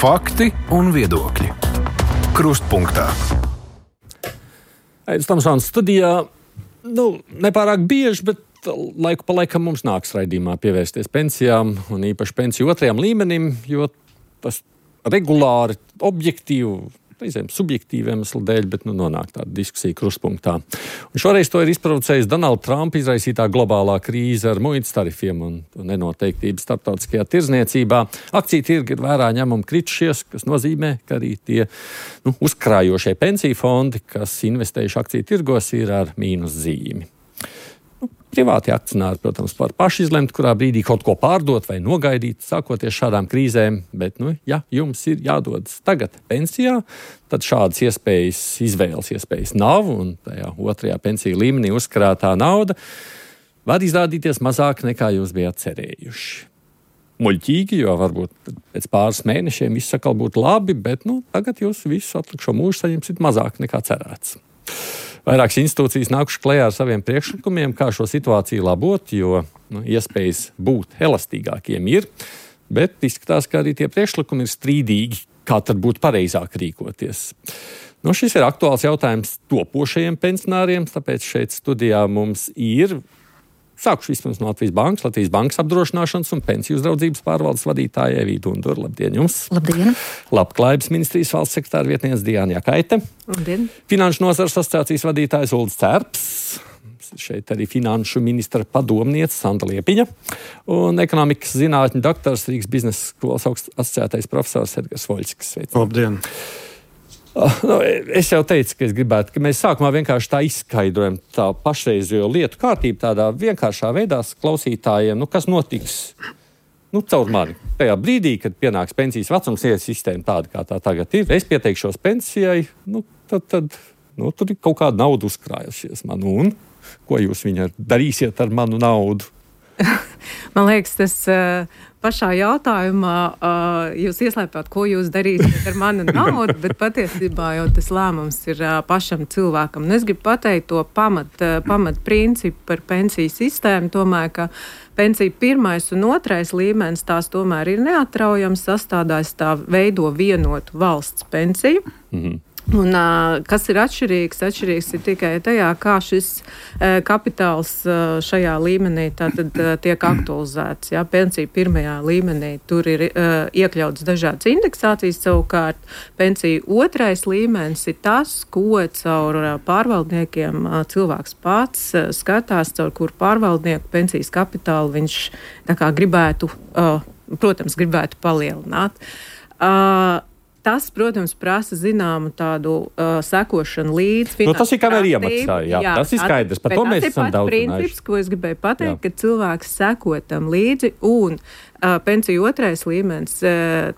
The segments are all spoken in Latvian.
Fakti un viedokļi. Krustpunktā. Aidis Tamsons studijā. Nepārāk bieži, bet laiku pa laikam mums nāks raidījumā pievērsties pensijām un īpaši pensiju otrajam līmenim, jo tas regulāri, objektīvi, reizēm subjektīvi iemeslu dēļ, bet nonāk tāda diskusija krustpunktā. Un šoreiz to ir izprovocējis Donalda Trumpa izraisītā globālā krīze ar muitas tarifiem un nenoteiktību starptautiskajā tirdzniecībā. Akciju tirgi ir vērā ņemumi kritušies, kas nozīmē, ka arī tie uzkrājošie pensiju fondi, kas investējuši akciju tirgos, ir ar mīnus zīmi. Privāti akcionāri, protams, var paši izlemt, kurā brīdī kaut ko pārdot vai nogaidīt, sākoties šādām krīzēm, bet, ja jums ir jādodas tagad pensijā, tad šādas izvēles iespējas nav, un tajā otrajā pensiju līmenī uzkrātā nauda var izrādīties mazāk nekā jūs bijāt cerējuši. Muļķīgi, jo varbūt pēc pāris mēnešiem viss atkal būtu labi, bet, tagad jūs visu atlikušo mūžu saņemsiet mazāk nekā cerēts. Vairākas institūcijas nākuši klajā ar saviem priekšlikumiem, kā šo situāciju labot, jo iespējas būt elastīgākiem ir, bet izskatās, ka arī tie priekšlikumi ir strīdīgi, kā tad būtu pareizāk rīkoties. Šis ir aktuāls jautājums topošajiem pensionāriem, tāpēc šeit studijā mums ir sākuši vispirms no Latvijas Bankas apdrošināšanas un pensiju uzraudzības pārvaldes vadītāja Evīta Undura. Labdien jums! Labdien! Labklājības ministrijas valsts sekretāra vietniece Diāna Jakaite. Labdien! Finanšu nozares asociācijas vadītājs Uldis Cērps. Šeit arī finanšu ministra padomniece Sanda Liepiņa. Un ekonomikas zinātņu doktors Rīgas biznesa skolas asociētais profesors Edgars Voļskis. Labdien! Es jau teicu, ka es gribētu, ka mēs sākumā vienkārši tā izskaidrojam tā pašreizējo lietu kārtību tādā vienkāršā veidā klausītājiem, kas notiks caur mani. Tajā brīdī, kad pienāks pensijas vecums, ir sistēma tāda, kā tā tagad ir, es pieteikšos pensijai, tad tur ir kaut kāda nauda uzkrājušies man. Un ko jūs darīsiet ar manu naudu? Man liekas, tas pašā jautājumā jūs ieslēpāt, ko jūs darīsiet ar manu naudu, bet patiesībā jau tas lēmums ir pašam cilvēkam. Un es gribu pateikt to pamat principu par pensiju sistēmu. Tomēr, ka pensija pirmais un otrais līmenis tās tomēr ir neatraujams sastādājis, tā veido vienotu valsts pensiju. Mm-hmm. Un, kas ir atšķirīgs? Atšķirīgs ir tikai tajā, kā šis kapitāls šajā līmenī tātad tiek aktualizēts. Pensija pirmajā līmenī tur ir iekļauts dažādas indeksācijas, savukārt pensija otrais līmenis ir tas, ko caur pārvaldniekiem cilvēks pats skatās, caur kur pārvaldnieku pensijas kapitālu viņš tā kā gribētu palielināt. Tas, protams, prasa zināmu tādu sekošanu līdzi. Tas ir kamēr iemaksāja, jā. Tas ir skaidrs. Par to mēs esam daudz runājuši. Princips, ko es gribēju pateikt, ka cilvēks seko tam līdzi un pensiju otrais līmenis,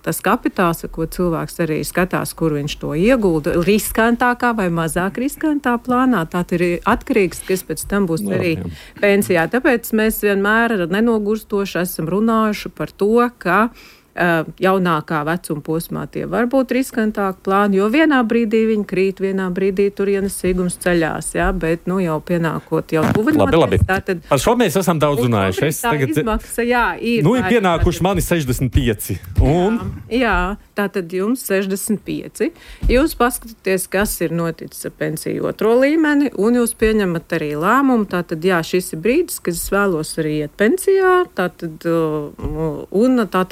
tas kapitāls, ko cilvēks arī skatās, kur viņš to iegulda, riskantākā vai mazāk riskantā plānā, tā ir atkarīgs, kas pēc tam būs arī pensijā. Tāpēc mēs vienmēr nenogurstoši esam runājuši par to, ka jaunākā vecuma posmā tie var būt riskantāki plāni, jo vienā brīdī viņi krīt, vienā brīdī tur ienesīgums ceļās, bet jau pienākot jau tuvinoties. Labi. Par šo mēs esam daudz runājuši. Izmaksa, ir pienākuši mani 65. Un? Jā, tātad jums 65. Jūs paskatāties, kas ir noticis ar pensiju otro līmeni, un jūs pieņemat arī lēmumu. Tātad, šis ir brīdis, kad es vēlos arī iet pensijā, tātad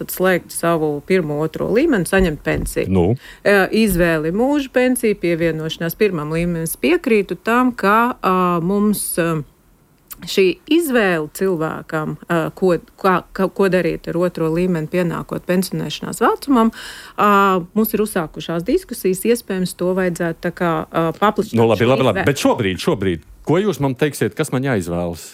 slēgt savu pirmo, otro līmeni, saņemt pensiju. Izvēli mūža pensiju, pievienošanās pirmam līmenim. Es piekrītu tam, ka mums šī izvēle cilvēkam, ko darīt ar otro līmeni pienākot pensionēšanās vecumam, mums ir uzsākušās diskusijas, iespējams to vajadzētu tā kā paplašināt. Labi. Bet šobrīd, ko jūs man teiksiet, kas man jāizvēlas?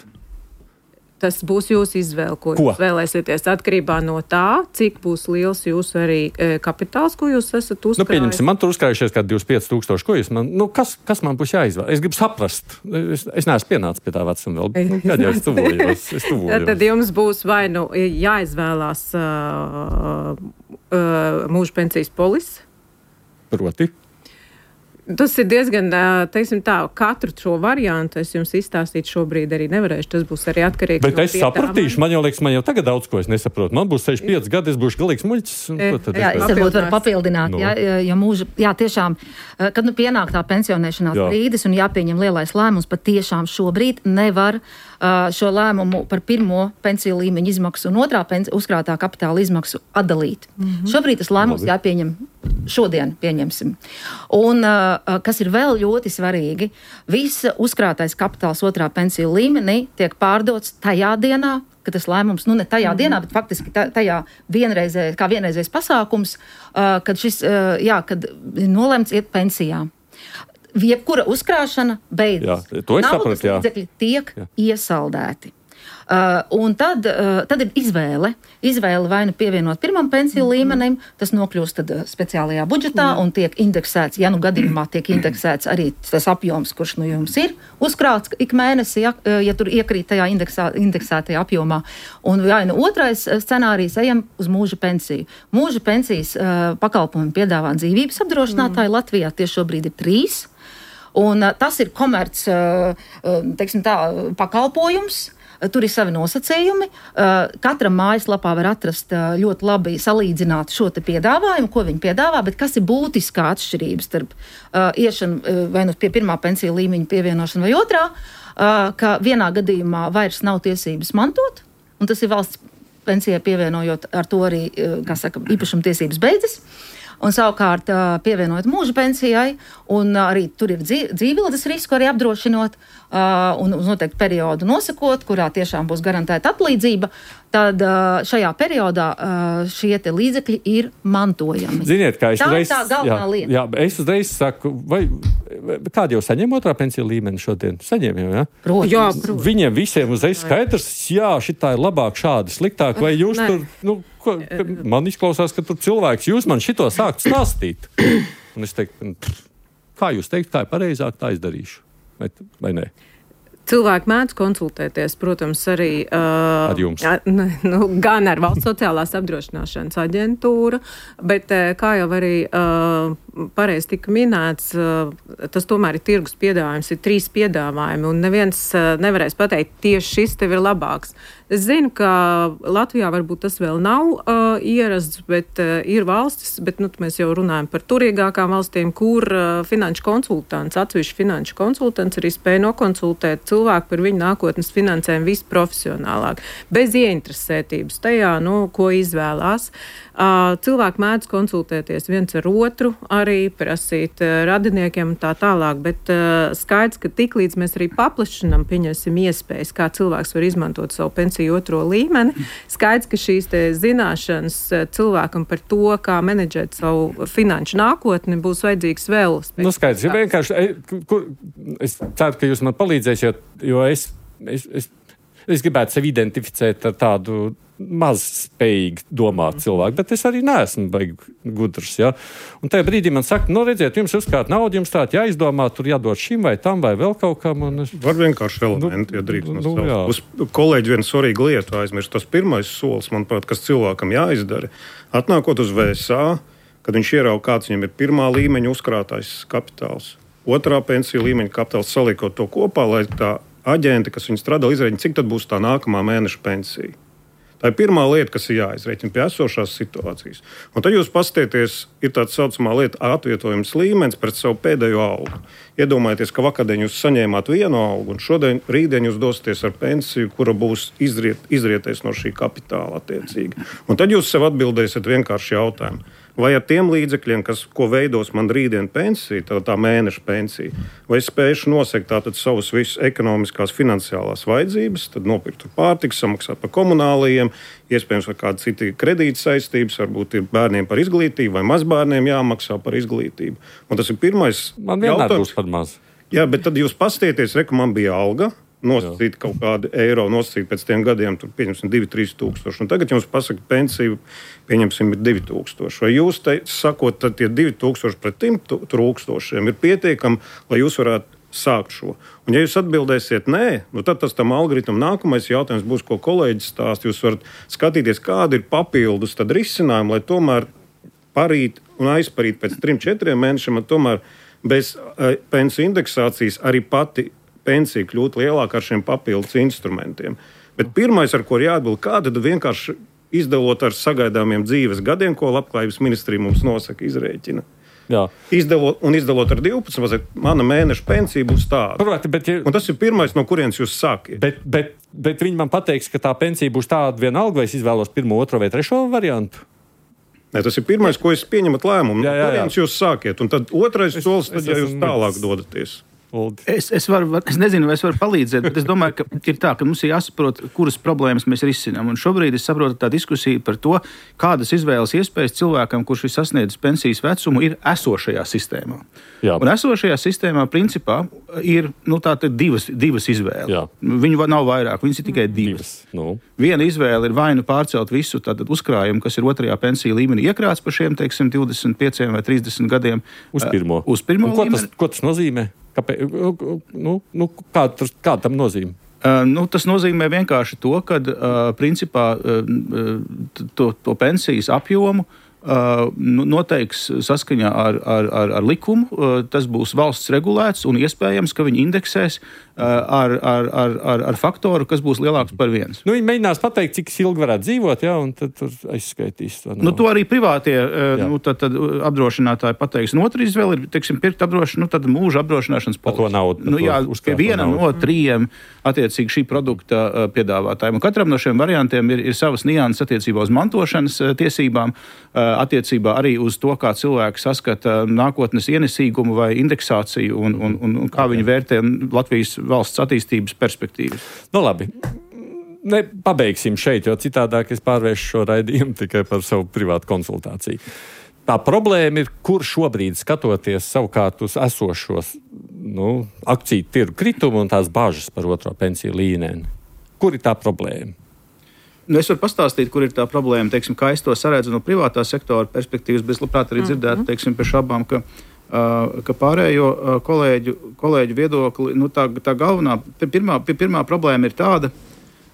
Tas būs jūsu izvēle, ko jūs vēlēsieties atkarībā no tā, cik būs liels jūsu arī kapitāls, ko jūs esat uzkrājis. Pieņemsim, man tur uzkrājušies kā 25,000, ko jūs man, kas man būs jāizvēl? Es gribu saprast, es neesmu pienācis pie tā vecuma vēl, kad jau es tuvojos. Tad jums būs vai jāizvēlās mūža pensijas polis. Proti? Tas ir diezgan, teiksim tā, katru šo variantu es jums izstāstīt šobrīd arī nevarēšu. Tas būs arī atkarīgs bet no es sapratīšu, man jau tagad daudz ko es nesaprotu. Man būs 65 gadi, es būšu galīgs muļķis. Jā, es varbūt varu papildināt, ja mūža, jā, tiešām, kad pienāk tā pensionēšanās brīdis un jāpieņem lielais lēmums, pat tiešām šobrīd nevar šo lēmumu par pirmo pensiju līmeņu izmaksu un otrā uzkrātā kapitāla izmaksu atdalīt. Šobrīd tas lēmums jāpieņem šodien, pieņemsim. Un kas ir vēl ļoti svarīgi, visa uzkrātais kapitāls otrā pensiju līmenī tiek pārdots tajā dienā, ka tas lēmums, ne tajā dienā, bet faktiski tajā vienreizējais pasākums, kad šis, kad nolemts iet pensijā. Jebkura uzkrāšana beidzas. Naudas līdzekļi tiek iesaldēti. Un tad ir izvēle. Izvēle vai nu pievienot pirmam pensiju līmenim, tas nokļūst tad speciālajā budžetā un tiek indeksēts, ja gadījumā tiek indeksēts arī tas apjoms, kurš jums ir uzkrāts ik mēnesi, ja tur iekrīt tajā indeksētajā apjomā. Un vai nu otrais scenārijs ejam uz mūža pensiju. Mūža pensijas pakalpojumu piedāvā dzīvības apdrošinātāji Latvijā tieši šobrīd ir 3. Un tas ir komerc, teiksim tā, pakalpojums. Tur ir savi nosacījumi. Katram mājaslapā var atrast ļoti labi salīdzināt šo te piedāvājumu, ko viņi piedāvā, bet kas ir būtiskā atšķirības starp iešanu vai nu pie pirmā pensiju līmeņa pievienošanu vai otrā, ka vienā gadījumā vairs nav tiesības mantot, un tas ir valsts pensijai pievienojot ar to arī, kā saka, īpašumtiesības beidzas. Un savukārt pievienojot mūža pensijai, un arī tur ir dzīvības risku arī apdrošinot, un uz noteiktu periodu nosakot, kurā tiešām būs garantēta atlīdzība, tad šajā periodā šie te līdzekļi ir mantojami. Ziniet, kā es uzreiz, tā galvenā lieta. Jā, es uzreiz saku, vai kādi jau saņem otrā pensiju līmeni šodien? Saņem jau, jā? Protams. Viņiem visiem uzreiz skaidrs, jā, šitā ir labāk, šādi sliktāk, vai jūs tur, man izklausās, ka tur cilvēks, jūs man šito sākt stāstīt. Un es teiktu, kā jūs teikt, kā ir pareizāk, tā es darīšu. Vai ne? Cilvēki mēdz konsultēties, protams, arī ar jums. Gan ar Valsts sociālās apdrošināšanas aģentūru, bet kā jau arī pareizi tika minēts, tas tomēr ir tirgus piedāvājums, ir 3 piedāvājumi, un neviens nevarēs pateikt, tieši šis tev ir labāks. Es zinu, ka Latvijā varbūt tas vēl nav ierasts, bet ir valstis, bet mēs jau runājam par turīgākām valstīm, kur finanšu konsultants, atsevišķi finanšu konsultants arī spēja nokonsultēt cilvēku par viņu nākotnes finansēm visprofesionālāk, bez ieinteresētības tajā, ko izvēlās. Cilvēki mēdz konsultēties viens ar otru, arī prasīt radiniekiem un tā tālāk, bet skaidrs, ka tiklīdz mēs arī paplašinām, pieņemsim iespējas, kā cilvēks var izmantot savu pensiju otro līmeni, skaidrs, ka šīs te zināšanas cilvēkam par to, kā menedžēt savu finanšu nākotni, būs vajadzīgs vēl. Skaidrs, ja vienkārši, es ceru, ka jūs man palīdzēsiet, jo es gribētu sevi identificēt ar tādu maz spējīgi domāt cilvēku, bet es arī neesmu baigi gudrs, ja. Un tajā brīdī man saka, redziet, jums uzkrāt naudu, jums tā jāizdomā, tur jādod šim vai tam vai vēl kaut kam. Var vienkārši elementi, ja drīkst uz kolēģi vienu svarīgu lietu aizmirst. Tas pirmais solis, manuprāt, kas cilvēkam jāizdara, atnākot uz VSA, kad viņš ierauga, kāds viņam ir pirmā līmeņa uzkrātais kapitāls, otrā pensiju līmeņa kapitāls, saliekot to kopā, lai tā aģenti, kas viņu strādā, izrēķina, cik tad būs tā nākamā mēneša pensija. Tā ir pirmā lieta, kas ir jāizrēķina pie esošās situācijas. Un tad jūs paskatieties, ir tāds saucamā lieta atvietojums līmenis pret savu pēdējo algu. Iedomājieties, ka vakardien jūs saņēmāt vienu algu, un rītdien jūs dosieties ar pensiju, kura būs izrietēs no šī kapitāla attiecīgi. Un tad jūs sev atbildēsiet vienkārši jautājumu. Vai ar tiem līdzekļiem, ko veidos man rītdien pensija, tā mēneša pensija, vai es spēšu nosegt tātad savas visas ekonomiskās finansiālās vajadzības, tad nopirkt pārtiku, samaksāt par komunālajiem, iespējams, vai kādi citi kredīti saistības, varbūt ir bērniem par izglītību, vai mazbērniem jāmaksā par izglītību. Un tas ir pirmais jautājums. Man vienmēr būs par maz. Jā, bet tad jūs pastieties, man bija alga, nosacīt kaut kādu eiro, nosacīt pēc tiem gadiem, tur pieņemsim 2-3 tūkstoši. Un tagad jums pasaka, pensiju pieņemsim ir 2 tūkstoši. Vai jūs sakot, tad tie 2 tūkstoši pret 3 tūkstošiem ir pietiekami, lai jūs varētu sākt šo? Un ja jūs atbildēsiet nē, tad tas tam algoritmam nākamais jautājums būs, ko kolēģis stāst. Jūs varat skatīties, kādi ir papildus tad risinājumi, lai tomēr parīt un aizparīt pēc 3-4 mēnešiem, tomēr bez pensiju indeksācijas arī pati pensija kļūt lielāka ar šiem papildus instrumentiem. Bet pirmais, ar ko ir jāatbild, kā tad vienkārši izdalot ar sagaidāmiem dzīves gadiem, ko Labklājības ministrija mums nosaka, izrēķina. Jā. Izdalot ar 12, mana mēneša pensija būs tāda. Proti, un tas ir pirmais, no kurienes jūs sākiet. Bet viņi man pateiks, ka tā pensija būs tāda vienalga, vai es izvēlos 1, 2 vai 3 variantu? Nē, tas ir pirmais, ko jūs pieņemat lēmumu. No kurienes jūs sākiet? Un tad otrais solis, tad jūs tālāk dodaties. Es nezinu, vai es varu palīdzēt, bet es domāju, ka ir tā, ka mums ir jāsaprot, kuras problēmas mēs risinām. Un šobrīd es saprotu tā diskusija par to, kādas izvēles iespējas cilvēkam, kurš ir sasniedzis pensijas vecumu, ir esošajā sistēmā. Jā. Un esošajā sistēmā principā ir divas izvēles. Jā. Viņu nav vairāk, viņas ir tikai divas. Viena izvēle ir vai nu pārcelt visu uzkrājumu, kas ir otrajā pensiju līmenī iekrāts par šiem, 25 vai 30 gadiem. Uz pirmo līmeni. Ko tas nozīmē? Kāda tam nozīme? Tas nozīmē vienkārši to, ka principā to pensijas apjomu noteiks saskaņā ar likumu. Tas būs valsts regulēts un iespējams, ka viņi indeksēs ar faktoru, kas būs lielāks par 1. Viņi mēģinās pateikt, cik ilgi varētu dzīvot, un tad tur aizskaitīs. To arī privātie tad apdrošinātāji pateiks. Un otra izvēle ir, pirkt mūža apdrošināšanas polisi. Viena no 3 attiecīgi šī produkta piedāvātājiem. Un katram no šiem variantiem ir savas nianses attiecībā uz mantošanas tiesībām, attiecībā arī uz to, kā cilvēki saskata nākotnes ienesīgumu vai indeksāciju un kā viņi vērtē Latvijas valsts attīstības perspektīvas. Labi. Pabeigsim šeit, jo citādāk es pārvēršu šo raidījumu tikai par savu privātu konsultāciju. Tā problēma ir, kur šobrīd skatoties savukārt uz esošos akciju tirgu kritumu un tās bažas par otro pensiju līmeni. Kur ir tā problēma? Es varu pastāstīt, kur ir tā problēma, kā es to saredzu no privātā sektora perspektīvas, bet labprāt arī dzirdētu, pie šabām, ka pārējo kolēģu viedokli, tā galvenā, pirmā problēma ir tāda,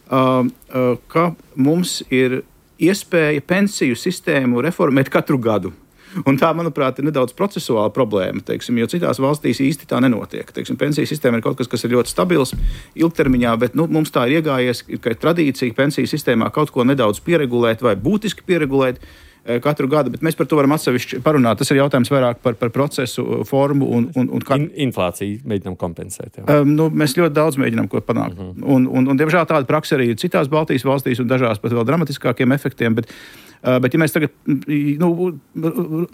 ka mums ir iespēja pensiju sistēmu reformēt katru gadu. Un tā, manuprāt, ir nedaudz procesuāla problēma, jo citās valstīs īsti tā nenotiek. Pensiju sistēma ir kaut kas ir ļoti stabils ilgtermiņā, bet mums tā ir iegājies, ka ir tradīcija pensiju sistēmā kaut ko nedaudz pieregulēt vai būtiski pieregulēt katru gadu, bet mēs par to varam atsevišķi parunāt. Tas ir jautājums vairāk par procesu, formu un inflāciju mēģinām kompensēt. Mēs ļoti daudz mēģinām ko panākt. Un diemžēl tāda praksa arī ir citās Baltijas valstīs un dažās pat vēl dramatiskākiem efektiem, bet ja mēs tagad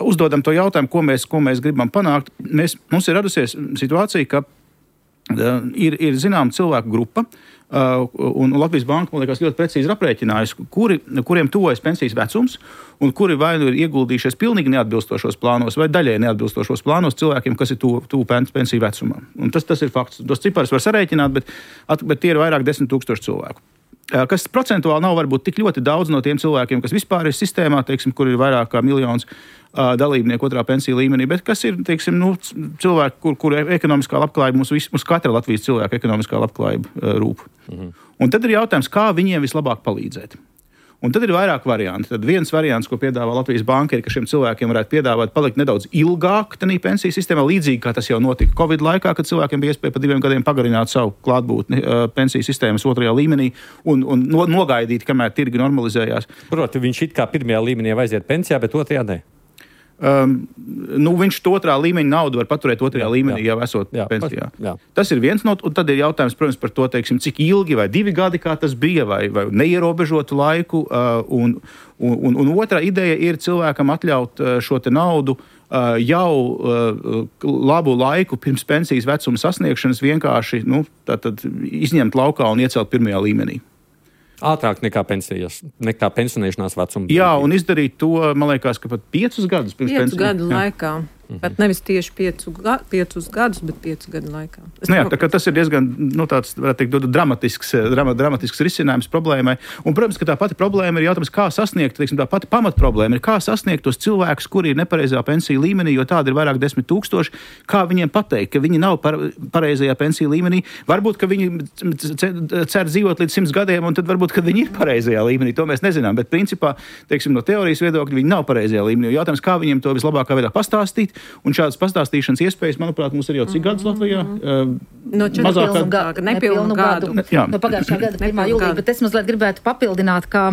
uzdodam to jautājumu, ko mēs gribam panākt, mums ir radusies situācija, ka ir zinām cilvēku grupa, un Latvijas Banka, man liekas, ļoti precīzi ir aprēķinājusi, kuriem tuvojas pensijas vecums, un kuri vai nu ir ieguldījušies pilnīgi neatbilstošos plānos, vai daļai neatbilstošos plānos cilvēkiem, kas ir tuvu pensiju vecumam. Un tas ir fakts. Tos ciparus var sarēķināt, bet tie ir vairāk 10 000 cilvēku. Kas procentuāli nav varbūt tik ļoti daudz no tiem cilvēkiem, kas vispār ir sistēmā, kur ir vairāk kā 1 miljons dalībnieku otrā pensiju līmenī, bet kas ir, cilvēki, kur ekonomiskā labklājība mums katra Latvijas cilvēka ekonomiskā labklājība rūp. Un tad ir jautājums, kā viņiem vislabāk palīdzēt. Un tad ir vairāk varianti. Tad viens variants, ko piedāvā Latvijas Banka, ir, ka šiem cilvēkiem varētu piedāvāt palikt nedaudz ilgāk tādā pensiju sistēmā, līdzīgi kā tas jau notika Covid laikā, kad cilvēkiem bija iespēja pa 2 gadiem pagarināt savu klātbūtni pensiju sistēmas otrajā līmenī un nogaidīt, kamēr tirgi normalizējās. Proti, viņš it kā pirmajā līmenī aiziet pensijā, bet otrajā ne. Viņš to otrā līmeņa naudu var paturēt otrajā līmenī, jau esot pensijā. Tas ir viens no, un tad ir jautājums, protams, par to, cik ilgi vai 2 gadi, kā tas bija, vai neierobežotu laiku. Un otrā ideja ir cilvēkam atļaut šo te naudu jau labu laiku pirms pensijas vecuma sasniegšanas vienkārši izņemt laukā un iecelt pirmajā līmenī. Ātrāk nekā pensionēšanās vecuma. Jā, un izdarīt to, man liekas, ka pat 5 gadus pirms pensijas. 5 gadu laikā. Pat nevis tieši 5 gadus, bet 5 gadu laikā. Tas ir diezgan tāds, varētu teikt, dramatisks risinājums problēmai. Un, protams, ka tā pati problēma ir jautājums, kā sasniegt, tā pati pamatproblēma ir, kā sasniegt tos cilvēkus, kuri ir nepareizā pensiju līmenī, jo tādi ir vairāk 10 000, kā viņiem pateikt, ka viņi nav pareizajā pensiju līmenī. Varbūt, ka viņi cer dzīvot līdz 100 gadiem, un tad varbūt, ka viņi ir pareizajā līmenī. To mēs nezinām, bet principā, no teorijas viedokļa viņi nav pareizajā līmenī. Jautājums, kā viņiem to vislabākā veidā pastāstīt, Un šādas pastāstīšanas iespējas, manuprāt, mums ir jau cik gadus Latvijā? No 4 gadu. Nepilnu gadu. No pagājušā gada 1. jūlijā, bet es mazliet gribētu papildināt, ka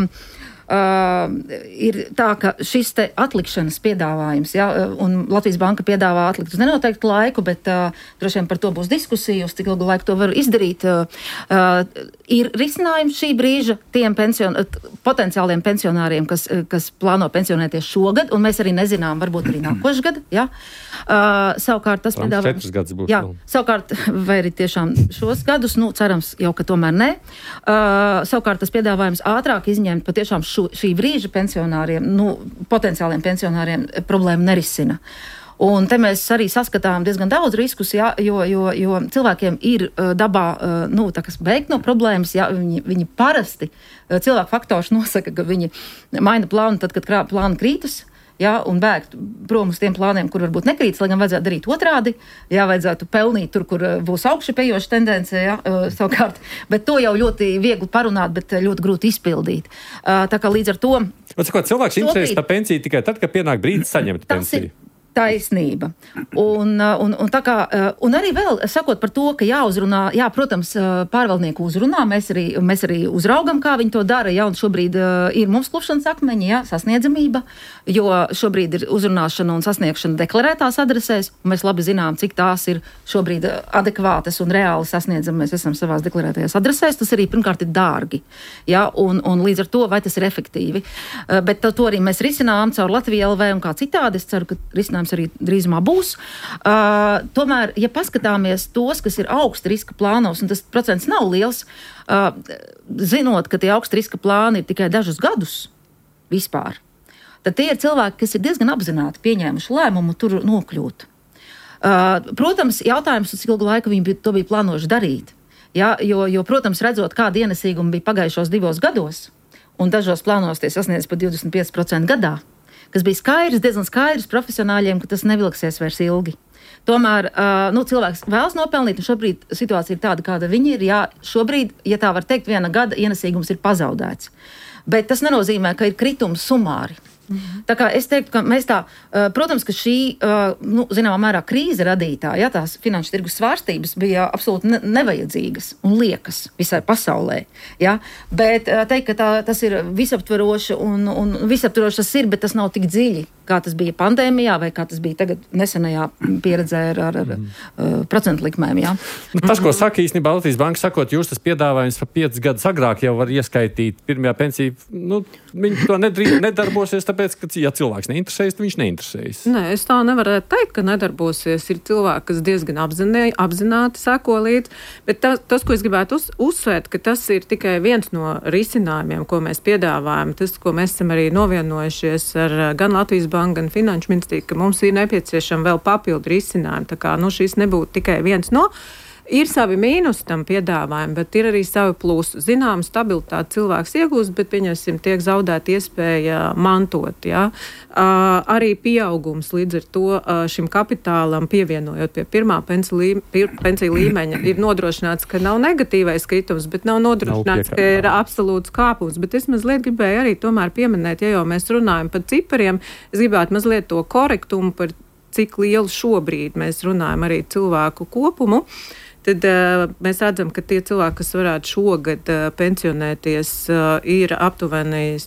ir tā, ka šis te atlikšanas piedāvājums, ja, un Latvijas Banka piedāvā atlikt uz nenoteiktu laiku, bet droši vien par to būs diskusija, uz cik ilgu laiku to var izdarīt, ir risinājums šī brīža tiem potenciāliem pensionāriem, kas plāno pensionēties šogad, un mēs arī nezinām, varbūt arī nākošgad, ja. Savukārt tas piedāvājums... 4 gadus būs. Jā, savukārt, vai arī tiešām šos gadus, cerams jau, ka tomēr ne. Savukārt tas piedāvājums ātrāk izņemt patiešām šī brīža pensionāriem, potenciāliem pensionāriem problēmu nerisina. Un te mēs arī saskatām diezgan daudz riskus, ja, jo cilvēkiem ir dabā, beigt no problēmas, ja viņi parasti, cilvēku faktors nosaka, ka viņi maina plānu tad, kad plāna krītas, ja, un bēgt prom uz tiem plāniem, kur varbūt nekrītas, lai gan vajadzētu darīt otrādi, ja, vajadzētu pelnīt tur, kur būs augšupejoša tendence, ja, savukārt, bet to jau ļoti viegli parunāt, bet ļoti grūti izpildīt. Tā kā līdz ar to... Cilvēks interesēs par pensiju tikai tad, kad pienāk brīdis saņemt pensiju. Taisnība. Un arī vēl sakot par to, ka jāuzrunā, protams, pārvaldnieku uzrunā, mēs arī uzraugam, kā viņi to dara, un šobrīd ir mums klupšanas akmeņi, sasniedzamība, jo šobrīd ir uzrunāšana un sasniegšana deklarētās adresēs, un mēs labi zinām, cik tās ir šobrīd adekvātas un reāli sasniedzam, mēs esam savās deklarētajās adresēs, tas arī pirmkārt ir dārgi, un līdz ar to, vai tas ir efektīvi. Bet to arī mēs risinām caur Latviju LV un kā citādi, es ceru, ka risinājums arī drīzumā būs. Tomēr, ja paskatāmies tos, kas ir augsta riska plānos, un tas procents nav liels, zinot, ka tie augsta riska plāni ir tikai dažus gadus vispār, tad tie ir cilvēki, kas ir diezgan apzināti pieņēmuši lēmumu tur nokļūt. Protams, jautājums, uz ilgu laiku viņi to bija plānojuši darīt. Ja, jo, protams, redzot, kāda ienesīguma bija pagājušos 2 gados, un dažos plānos tie sasniedz pat 25% gadā, kas bija diezgan skaidrs profesionāļiem, ka tas nevilksies vairs ilgi. Tomēr cilvēks vēlas nopelnīt, un šobrīd situācija ir tāda, kāda viņi ir. Jā, šobrīd, ja tā var teikt, 1 gada ienesīgums ir pazaudēts. Bet tas nenozīmē, ka ir kritums sumāri. Tā kā es teiktu, ka mēs tā, protams, ka šī, zināmā mērā krīze radītā, tās finanšu tirgus svārstības bija absolūti nevajadzīgas un liekas visai pasaulē, bet teikt, ka tas ir visaptveroši un visaptveroši tas ir, bet tas nav tik dziļi, kā tas bija pandēmijā vai kā tas bija tagad nesenajā pieredzē ar procentu likmēm, Tas, ko saka īstenībā Latvijas Banka, sakot, jūs tas piedāvājums par 5 gadus agrāk jau var ieskaitīt pirmajā pensiju, viņi to nedarbosies, tāpēc, ka, ja cilvēks neinteresējas, tad viņš neinteresējas. Nē, es tā nevarētu teikt, ka nedarbosies. Ir cilvēki, kas diezgan apzināti seko līdz, bet tas, ko es gribētu uzsvērt, ka tas ir tikai viens no risinājumiem, ko mēs piedāvājam, tas, ko mēs esam arī novienojušies ar gan Latvijas Banku, gan Finanšu ministriju, ka mums ir nepieciešama vēl papildu risinājumi. Tā kā, šis nebūtu tikai viens no. Ir savi mīnus tam piedāvājumi, bet ir arī savi plusi. Zinām, stabilitāti cilvēks iegūst, bet, pieņemsim, tiek zaudēta iespēja mantot. Arī pieaugums līdz ar to šim kapitālam pievienojot pie pirmā pensiju līmeņa ir nodrošināts, ka nav negatīvais kritums, bet nav nodrošināts, ka ir absolūts kāpums. Bet es mazliet gribēju arī tomēr pieminēt, ja jau mēs runājam par cipariem, es gribētu mazliet to korektumu par cik lielu šobrīd mēs runājam arī cilvēku kopumu. Tad mēs redzam, ka tie cilvēki, kas varētu šogad pensionēties, ir aptuveni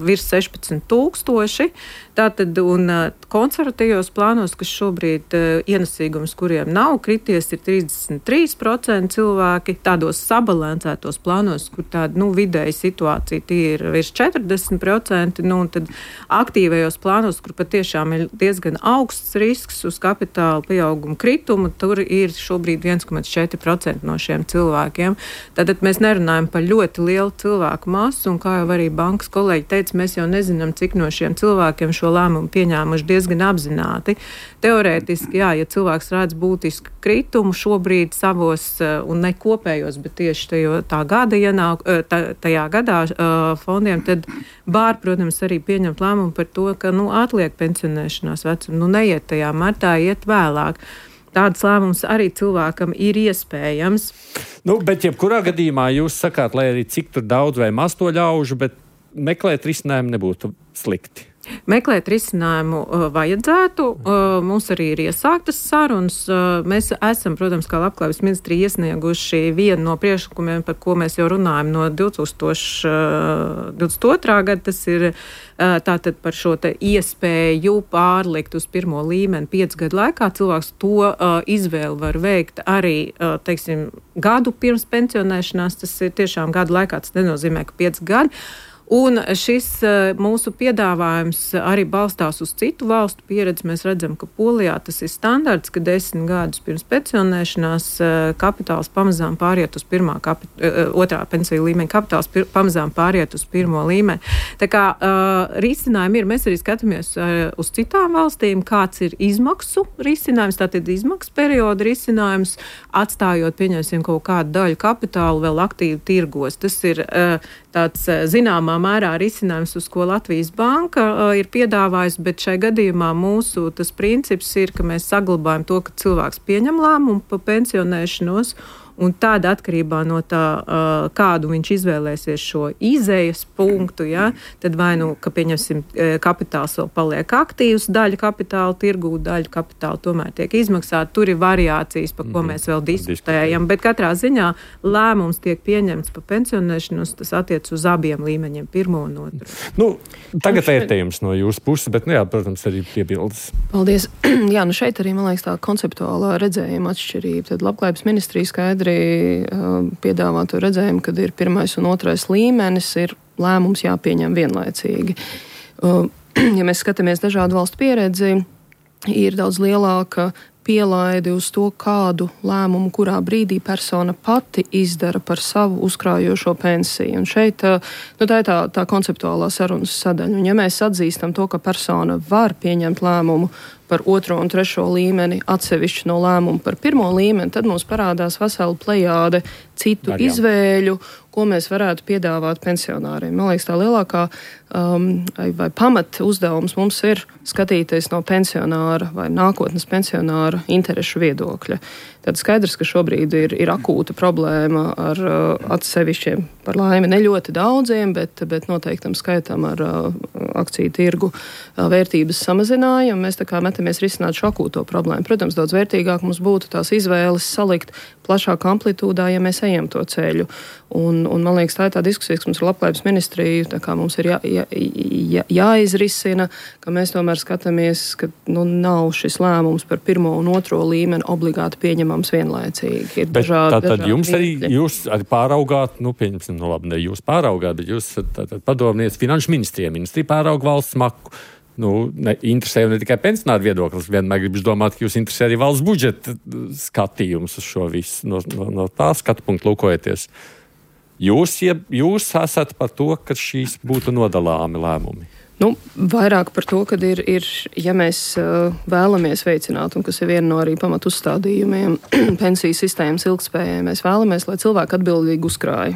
virs 16,000. Tātad, un konservatīvos plānos, kas šobrīd ienesīgums, kuriem nav krities, ir 33% cilvēki. Tādos sabalansētos plānos, kur tāda vidēja situācija tie ir virs 40%. Tad aktīvajos plānos, kur patiešām ir diezgan augsts risks uz kapitāla pieauguma kritumu, tur ir šobrīd 1,4% no šiem cilvēkiem. Tātad mēs nerunājam par ļoti lielu cilvēku masu, un kā jau arī bankas kolēģi teica, mēs jau nezinām, cik no šiem cilvēkiem šo lēmumu pieņēmuši diezgan apzināti. Teorētiski, ja cilvēks redz būtisku kritumu šobrīd savos, un ne kopējos, bet tieši tajā gadā fondiem, tad var, protams, arī pieņemt lēmumu par to, ka atliek pensionēšanās vecumu, neiet tajā martā, iet vēlāk. Tādas lēmums arī cilvēkam ir iespējams. Bet jebkurā gadījumā jūs sakāt, lai arī cik tur daudz vai maz to ļaužu, bet meklēt risinājumu nebūtu slikti. Meklēt risinājumu vajadzētu. Mums arī ir iesāktas sarunas. Mēs esam, protams, kā Labklājības ministrija iesnieguši vienu no priekšlikumiem, par ko mēs jau runājam no 2022. Gada. Tas ir tātad par šo te iespēju pārlikt uz pirmo līmeni 5 gadu laikā. Cilvēks to izvēli var veikt arī, teiksim, gadu pirms pensionēšanās. Tas ir tiešām gadu laikā, tas nenozīmē, ka 5 gadi. Un šis mūsu piedāvājums arī balstās uz citu valstu pieredzi. Mēs redzam, ka Polijā tas ir standarts, ka 10 gadus pirms pensionēšanās kapitāls pamazām pāriet uz otrā pensiju līmeņa kapitāls pamazām pāriet uz pirmo līmeni. Tā kā risinājumi ir, mēs arī skatāmies uz citām valstīm, kāds ir izmaksu risinājums, tātad izmaksu perioda risinājums, atstājot, pieņemsim, kaut kādu daļu kapitālu vēl aktīvi tirgos. Tas ir tāds zināmā mērā risinājums, uz ko Latvijas banka ir piedāvājusi, bet šai gadījumā mūsu tas princips ir, ka mēs saglabājam to, ka cilvēks pieņem lēmumu par pensionēšanos, un tāda atkarībā no tā, kādu viņš izvēlēsies šo izējas punktu, ja, tad vai nu, ka pieņemsim, kapitāls vēl paliek aktīvs, daļa kapitāla tirgū, daļa kapitāla tomēr tiek izmaksāta. Tur ir variācijas, par ko mēs vēl diskutējam, bet katrā ziņā lēmums tiek pieņemts par pensionēšanos, tas attiec uz abiem līmeņiem, pirmo un otru. Tagad vērtējums no jūsu puses, bet, protams, arī piebildes. Paldies. Jā, šeit arī, man liekas, tā konceptuālā redzējuma atšķirība. Tad Labklājības ministrija skaidri piedāvā to redzējumu, kad ir pirmais un otrais līmenis, ir lēmums jāpieņem vienlaicīgi. Ja mēs skatāmies dažādu valstu pieredzi, ir daudz lielāka pielaidi uz to, kādu lēmumu, kurā brīdī persona pati izdara par savu uzkrājošo pensiju. Un šeit tā ir tā konceptuālā sarunas sadaļa. Un ja mēs atzīstam to, ka persona var pieņemt lēmumu par otro un trešo līmeni atsevišķi no lēmumu par pirmo līmeni, tad mums parādās vesela plejāde citu izvēļu, ko mēs varētu piedāvāt pensionāriem. Man liekas, tā lielākā vai pamat uzdevums mums ir skatīties no pensionāra vai nākotnes pensionāra interešu viedokļa. Tad skaidrs, ka šobrīd ir akūta problēma ar atsevišķiem, par laimi ne ļoti daudziem, bet noteiktam skaitam ar akciju tirgu vērtības samazinājumu. Mēs tā kā metamies risināt šo akūto problēmu. Protams, daudz vērtīgāk mums būtu tās izvēles salikt plašākā amplitūdā, ja mēs ejam to ceļu. Un man liekas, tā ir tā diskusija, kas mums ir Labklājības ministrija, tā kā mums ir jāizrisina, ka mēs tomēr skatāmies, ka nav šis lēmums par pirmo un otro līmeni obligāti pieņemams vienlaicīgi. Tātad jums arī, jūs arī pāraugāt, pieņemsim, labi, ne jūs pāraugāt, bet jūs padomniec finanšu ministrijai. Ministrija pārauga valsts maku. Interesē ne tikai pensionāru viedoklis, vienmēr gribu domāt, ka jūs interesē arī valsts budžeta skatījums uz šo visu, no tā skatu punktu lūkojoties. Jūs esat par to, ka šīs būtu nodalāmi lēmumi? Vairāk par to, ka ir, ja mēs vēlamies veicināt, un kas ir viena no arī pamatu uzstādījumiem pensiju sistēmas ilgtspējai, mēs vēlamies, lai cilvēki atbildīgi uzkrāja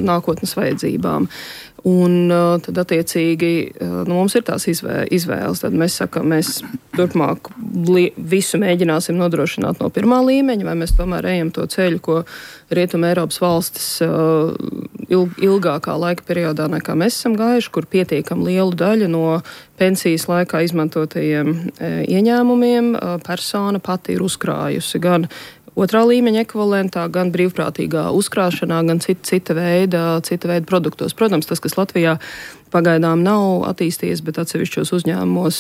nākotnes vajadzībām. Un tad, attiecīgi, mums ir tās izvēles. Tad mēs sakām, mēs turpmāk visu mēģināsim nodrošināt no pirmā līmeņa, vai mēs tomēr ejam to ceļu, ko Rietuma Eiropas valstis ilgākā laika periodā nekā mēs esam gājuši, kur pietiekam lielu daļu no pensijas laikā izmantotajiem ieņēmumiem persona pati ir uzkrājusi gan otrā līmeņa ekvivalentā, gan brīvprātīgā uzkrāšanā, gan cita veida produktos. Protams, tas, kas Latvijā pagaidām nav attīstījies, bet atsevišķos uzņēmumos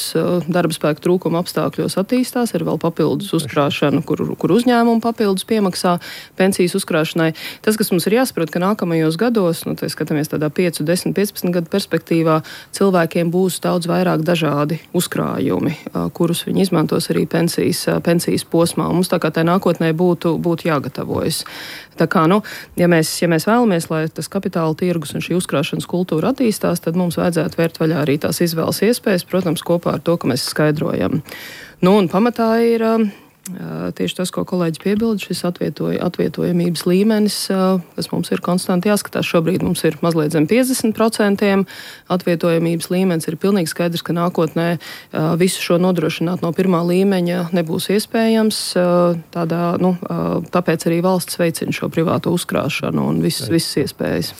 darba spēka trūkuma apstākļos attīstās, ir vēl papildus uzkrāšana, kur uzņēmumu papildus piemaksā pensijas uzkrāšanai. Tas, kas mums ir jāsaprot, ka nākamajos gados, tā skatāmies tādā 5, 10, 15 gadu perspektīvā, cilvēkiem būs daudz vairāk dažādi uzkrājumi, kurus viņi izmantos arī pensijas posmā. Mums tā kā tai nākotnē būtu jāgatavojas. Tā kā, ja mēs vēlamies, lai tas kapitāla tirgus un šī uzkrāšanas kultūra attīstās, tad mums vajadzētu vērt vaļā arī tās izvēles iespējas, protams, kopā ar to, ka mēs skaidrojam. Un pamatā ir tieši tas, ko kolēģis piebilda, šis atvietojamības līmenis, kas mums ir konstanti jāskatās. Šobrīd mums ir mazliet zem 50% atvietojamības līmenis. Ir pilnīgi skaidrs, ka nākotnē visu šo nodrošināt no pirmā līmeņa nebūs iespējams. Tāpēc arī valsts veicina šo privāto uzkrāšanu un visas iespējas.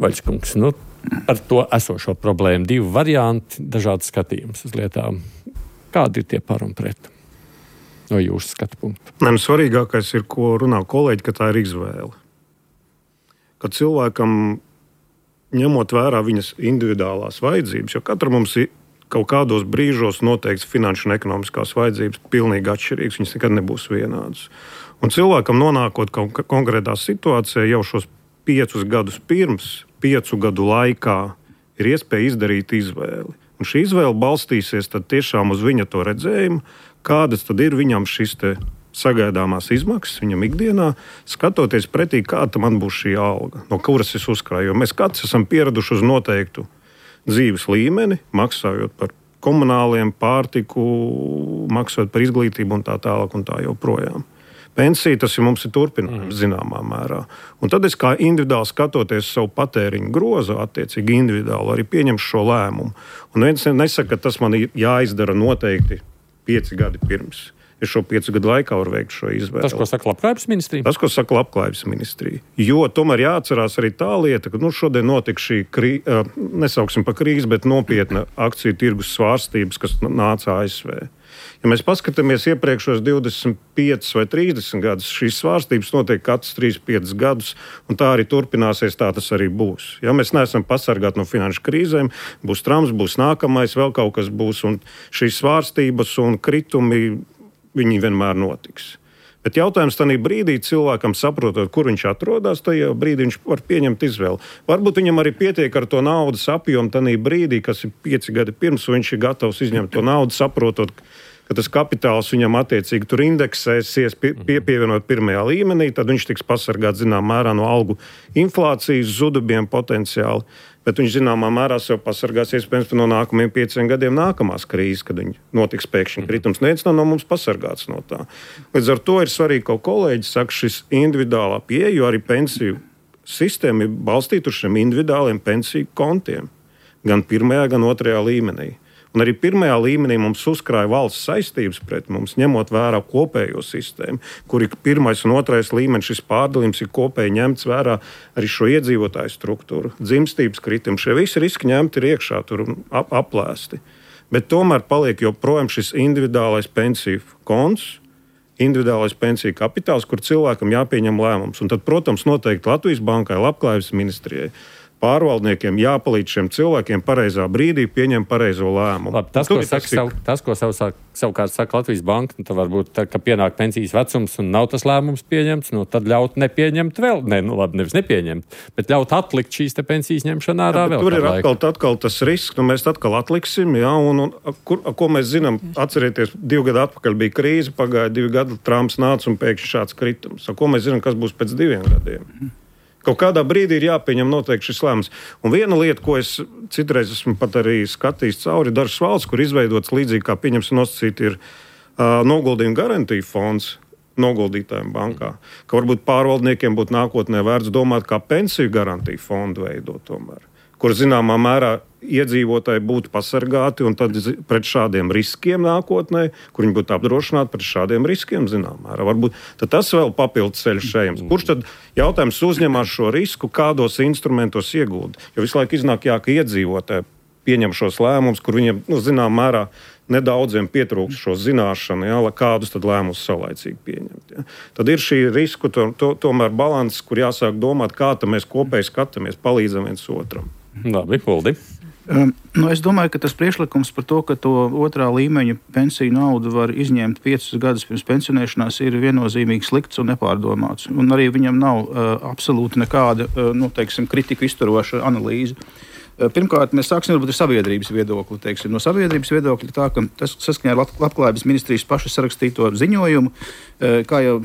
Vaļskungs, par to esošo problēmu. 2 varianti, dažādi skatījums uz lietām. Kādi ir tie par un pret? No jūsu skatu punkta. Svarīgākais ir, ko runā kolēģi, ka tā ir izvēle. Kad cilvēkam, ņemot vērā viņas individuālās vajadzības, jo katram mums ir kaut kādos brīžos noteikts finanšu un ekonomiskās vajadzības pilnīgi atšķirīgas, viņas nekad nebūs vienādas. Un cilvēkam nonākot konkrētā situācijā jau šos 5 gadus pirms, 5 gadu laikā ir iespēja izdarīt izvēli. Un šī izvēle balstīsies tad tiešām uz viņa to redzējumu, kādas tad ir viņam šis te sagaidāmās izmaksas viņam ikdienā, skatoties pretī, kāda man būs šī alga, no kuras es uzkrāju. Jo mēs katrs esam pieraduši uz noteiktu dzīves līmeni, maksājot par komunāliem, pārtiku, maksājot par izglītību un tā tālāk un tā joprojām. Pensija tas mums ir turpinājums zināmā mērā. Un tad es kā individuāli skatoties savu patēriņu grozu, attiecīgi individuāli arī pieņemšu šo lēmumu. Un viens nesaka, ka tas man ir jāizdara noteikti 5 gadi pirms. Es šo 5 gadu laikā varu veikt šo izvēli. Tas, ko saka Labklājības ministrija? Tas, ko saka Labklājības ministrija. Jo tomēr jāatcerās arī tā lieta, ka šodien notika šī, nesauksim pa krīzi, bet nopietna akciju tirgus svārstības, kas nāca ASV. Ja mēs paskatāmies iepriekšos 25 vai 30 gadus, šīs svārstības notiek katrs 3-5 gadus, un tā arī turpināsies, tā tas arī būs. Ja mēs neesam pasargāti no finanšu krīzēm, būs Trumps, būs nākamais, vēl kaut kas būs, un šīs svārstības un kritumi viņi vienmēr notiks. Bet jautājums tajā brīdī cilvēkam saprotot, kur viņš atrodas, tajā brīdī viņš var pieņemt izvēli. Varbūt viņam arī pietiek ar to naudas apjomu tajā brīdī, kas ir 5 gadi pirms, un viņš ir gatavs izņemt to naudu, saprotot, ka tas kapitāls viņam attiecīgi tur indeksēsies, pievienot pirmajā līmenī, tad viņš tiks pasargāts zināmā mērā no algu inflācijas zudumiem potenciāli. Bet viņš zināmā mērā sev pasargās iespējams no nākamajiem 5 gadiem nākamās krīzes, kad viņi notiks pēkšņi kritums. Neviens nav no mums pasargāts no tā. Līdz ar to ir svarīgi, ko kolēģis saka, šis individuālā pieeja, jo arī pensiju sistēma ir balstīta uz šiem individuāliem pensiju kontiem. Gan pirmajā, gan otrajā līmenī. Un arī pirmajā līmenī mums uzkrāja valsts saistības pret mums, ņemot vērā kopējo sistēmu, kur ir pirmais un otrais līmenis, šis pārdalījums ir kopēji ņemts vērā arī šo iedzīvotāju struktūru, dzimstības kritumu. Šie visi riski ņemti ir iekšā tur aplēsti. Bet tomēr paliek joprojām šis individuālais pensiju konts, individuālais pensiju kapitāls, kur cilvēkam jāpieņem lēmums. Un tad, protams, noteikti Latvijas bankai, Labklājības ministrijai, pārvaldniekiem jāpalīdz šiem cilvēkiem pareizā brīdī pieņemt pareizo lēmumu. Labi, tas, ko savukārt saka Latvijas banka, tad varbūt, ka pienāk pensijas vecums un nav tas lēmums pieņemts, tad ļaut nepieņemt vēl. Nevis nepieņemt, bet ļaut atlikt šīs te pensijas ņemšanā ārā vēl. Tur ir atkal tas risks, mēs atkal atliksim, ko mēs zinām, atcerieties, 2 gadu atpakaļ bija krīze, pagāja 2 gadi, Trumps nāca un pēkšņi šāds kritums. Ko mēs zinām, kas būs pēc 2 gadiem? Kaut kādā brīdī ir jāpieņem noteikti šis lēmums. Un viena lieta, ko es citreiz esmu pat arī skatījis cauri, dažas valsts, kur izveidots līdzīgi, kā pieņemsim nosacīt, ir noguldījuma garantija fonds noguldītājiem bankā. Ka varbūt pārvaldniekiem būtu nākotnē vērts domāt, kā pensiju garantiju fondu veidot tomēr. Kur zināmā mērā iedzīvotāji būtu pasargāti un tad pret šādiem riskiem nākotnē, kur viņi būtu apdrošināti pret šādiem riskiem zināmā mērā. Varbūt tas vēl papildus ceļš ejams. Kurš tad jautājums uzņemās šo risku, kādos instrumentos iegulda? Jo visu laiku iznāk, ka iedzīvotāji pieņem šos lēmumus, kur viņiem zināmā mērā nedaudziem pietrūkst šo zināšanu, lai kādus tad lēmumus saulaicīgi pieņemt. Tad ir šī risku tomēr balanss, kur jāsāk domāt, kā mēs kopēji skatāmies, palīdzam viens otram. Labi, Uldi. Es domāju, ka tas priekšlikums par to, ka to otrā līmeņa pensiju naudu var izņemt 5 gadus pirms pensionēšanās, ir viennozīmīgi slikts un nepārdomāts. Un arī viņam nav absolūti nekāda kritiku izturoša analīze. Pirmkārt, mēs sāksim ar sabiedrības viedokli. No sabiedrības viedokļa tā, ka tas saskaņā ar Labklājības ministrijas paša sarakstīto ziņojumu, kā jau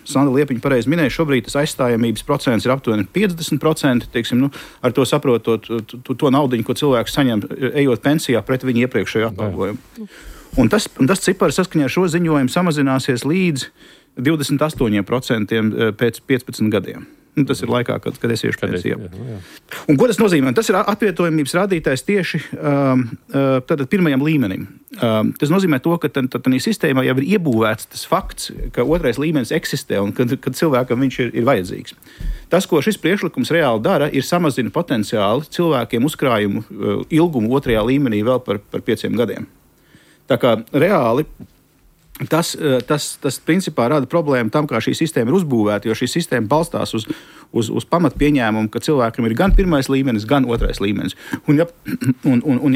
Sandra Liepiņa pareizi minēja, šobrīd tas aizstājamības procents ir aptuveni 50%. Ar to saprotot to naudiņu, ko cilvēks saņem, ejot pensijā pret viņu iepriekšējo atalgojumu. Un tas cipars saskaņā ar šo ziņojumu samazināsies līdz 28% pēc 15 gadiem. Tas ir laikā, kad es iešu pensijā. Un ko tas nozīmē? Tas ir atvietojamības rādītājs tieši tātad pirmajam līmenim. Tas nozīmē to, ka tādā sistēmā jau ir iebūvēts tas fakts, ka otrais līmenis eksistē un kad cilvēkam viņš ir vajadzīgs. Tas, ko šis priekšlikums reāli dara, ir samazina potenciāli cilvēkiem uzkrājumu ilgumu otrajā līmenī vēl par 5 gadiem. Tā kā reāli tas principā rada problēmu tam, kā šī sistēma ir uzbūvēta, jo šī sistēma balstās uz pamatpieņēmumu, ka cilvēkam ir gan pirmais līmenis, gan otrais līmenis. Un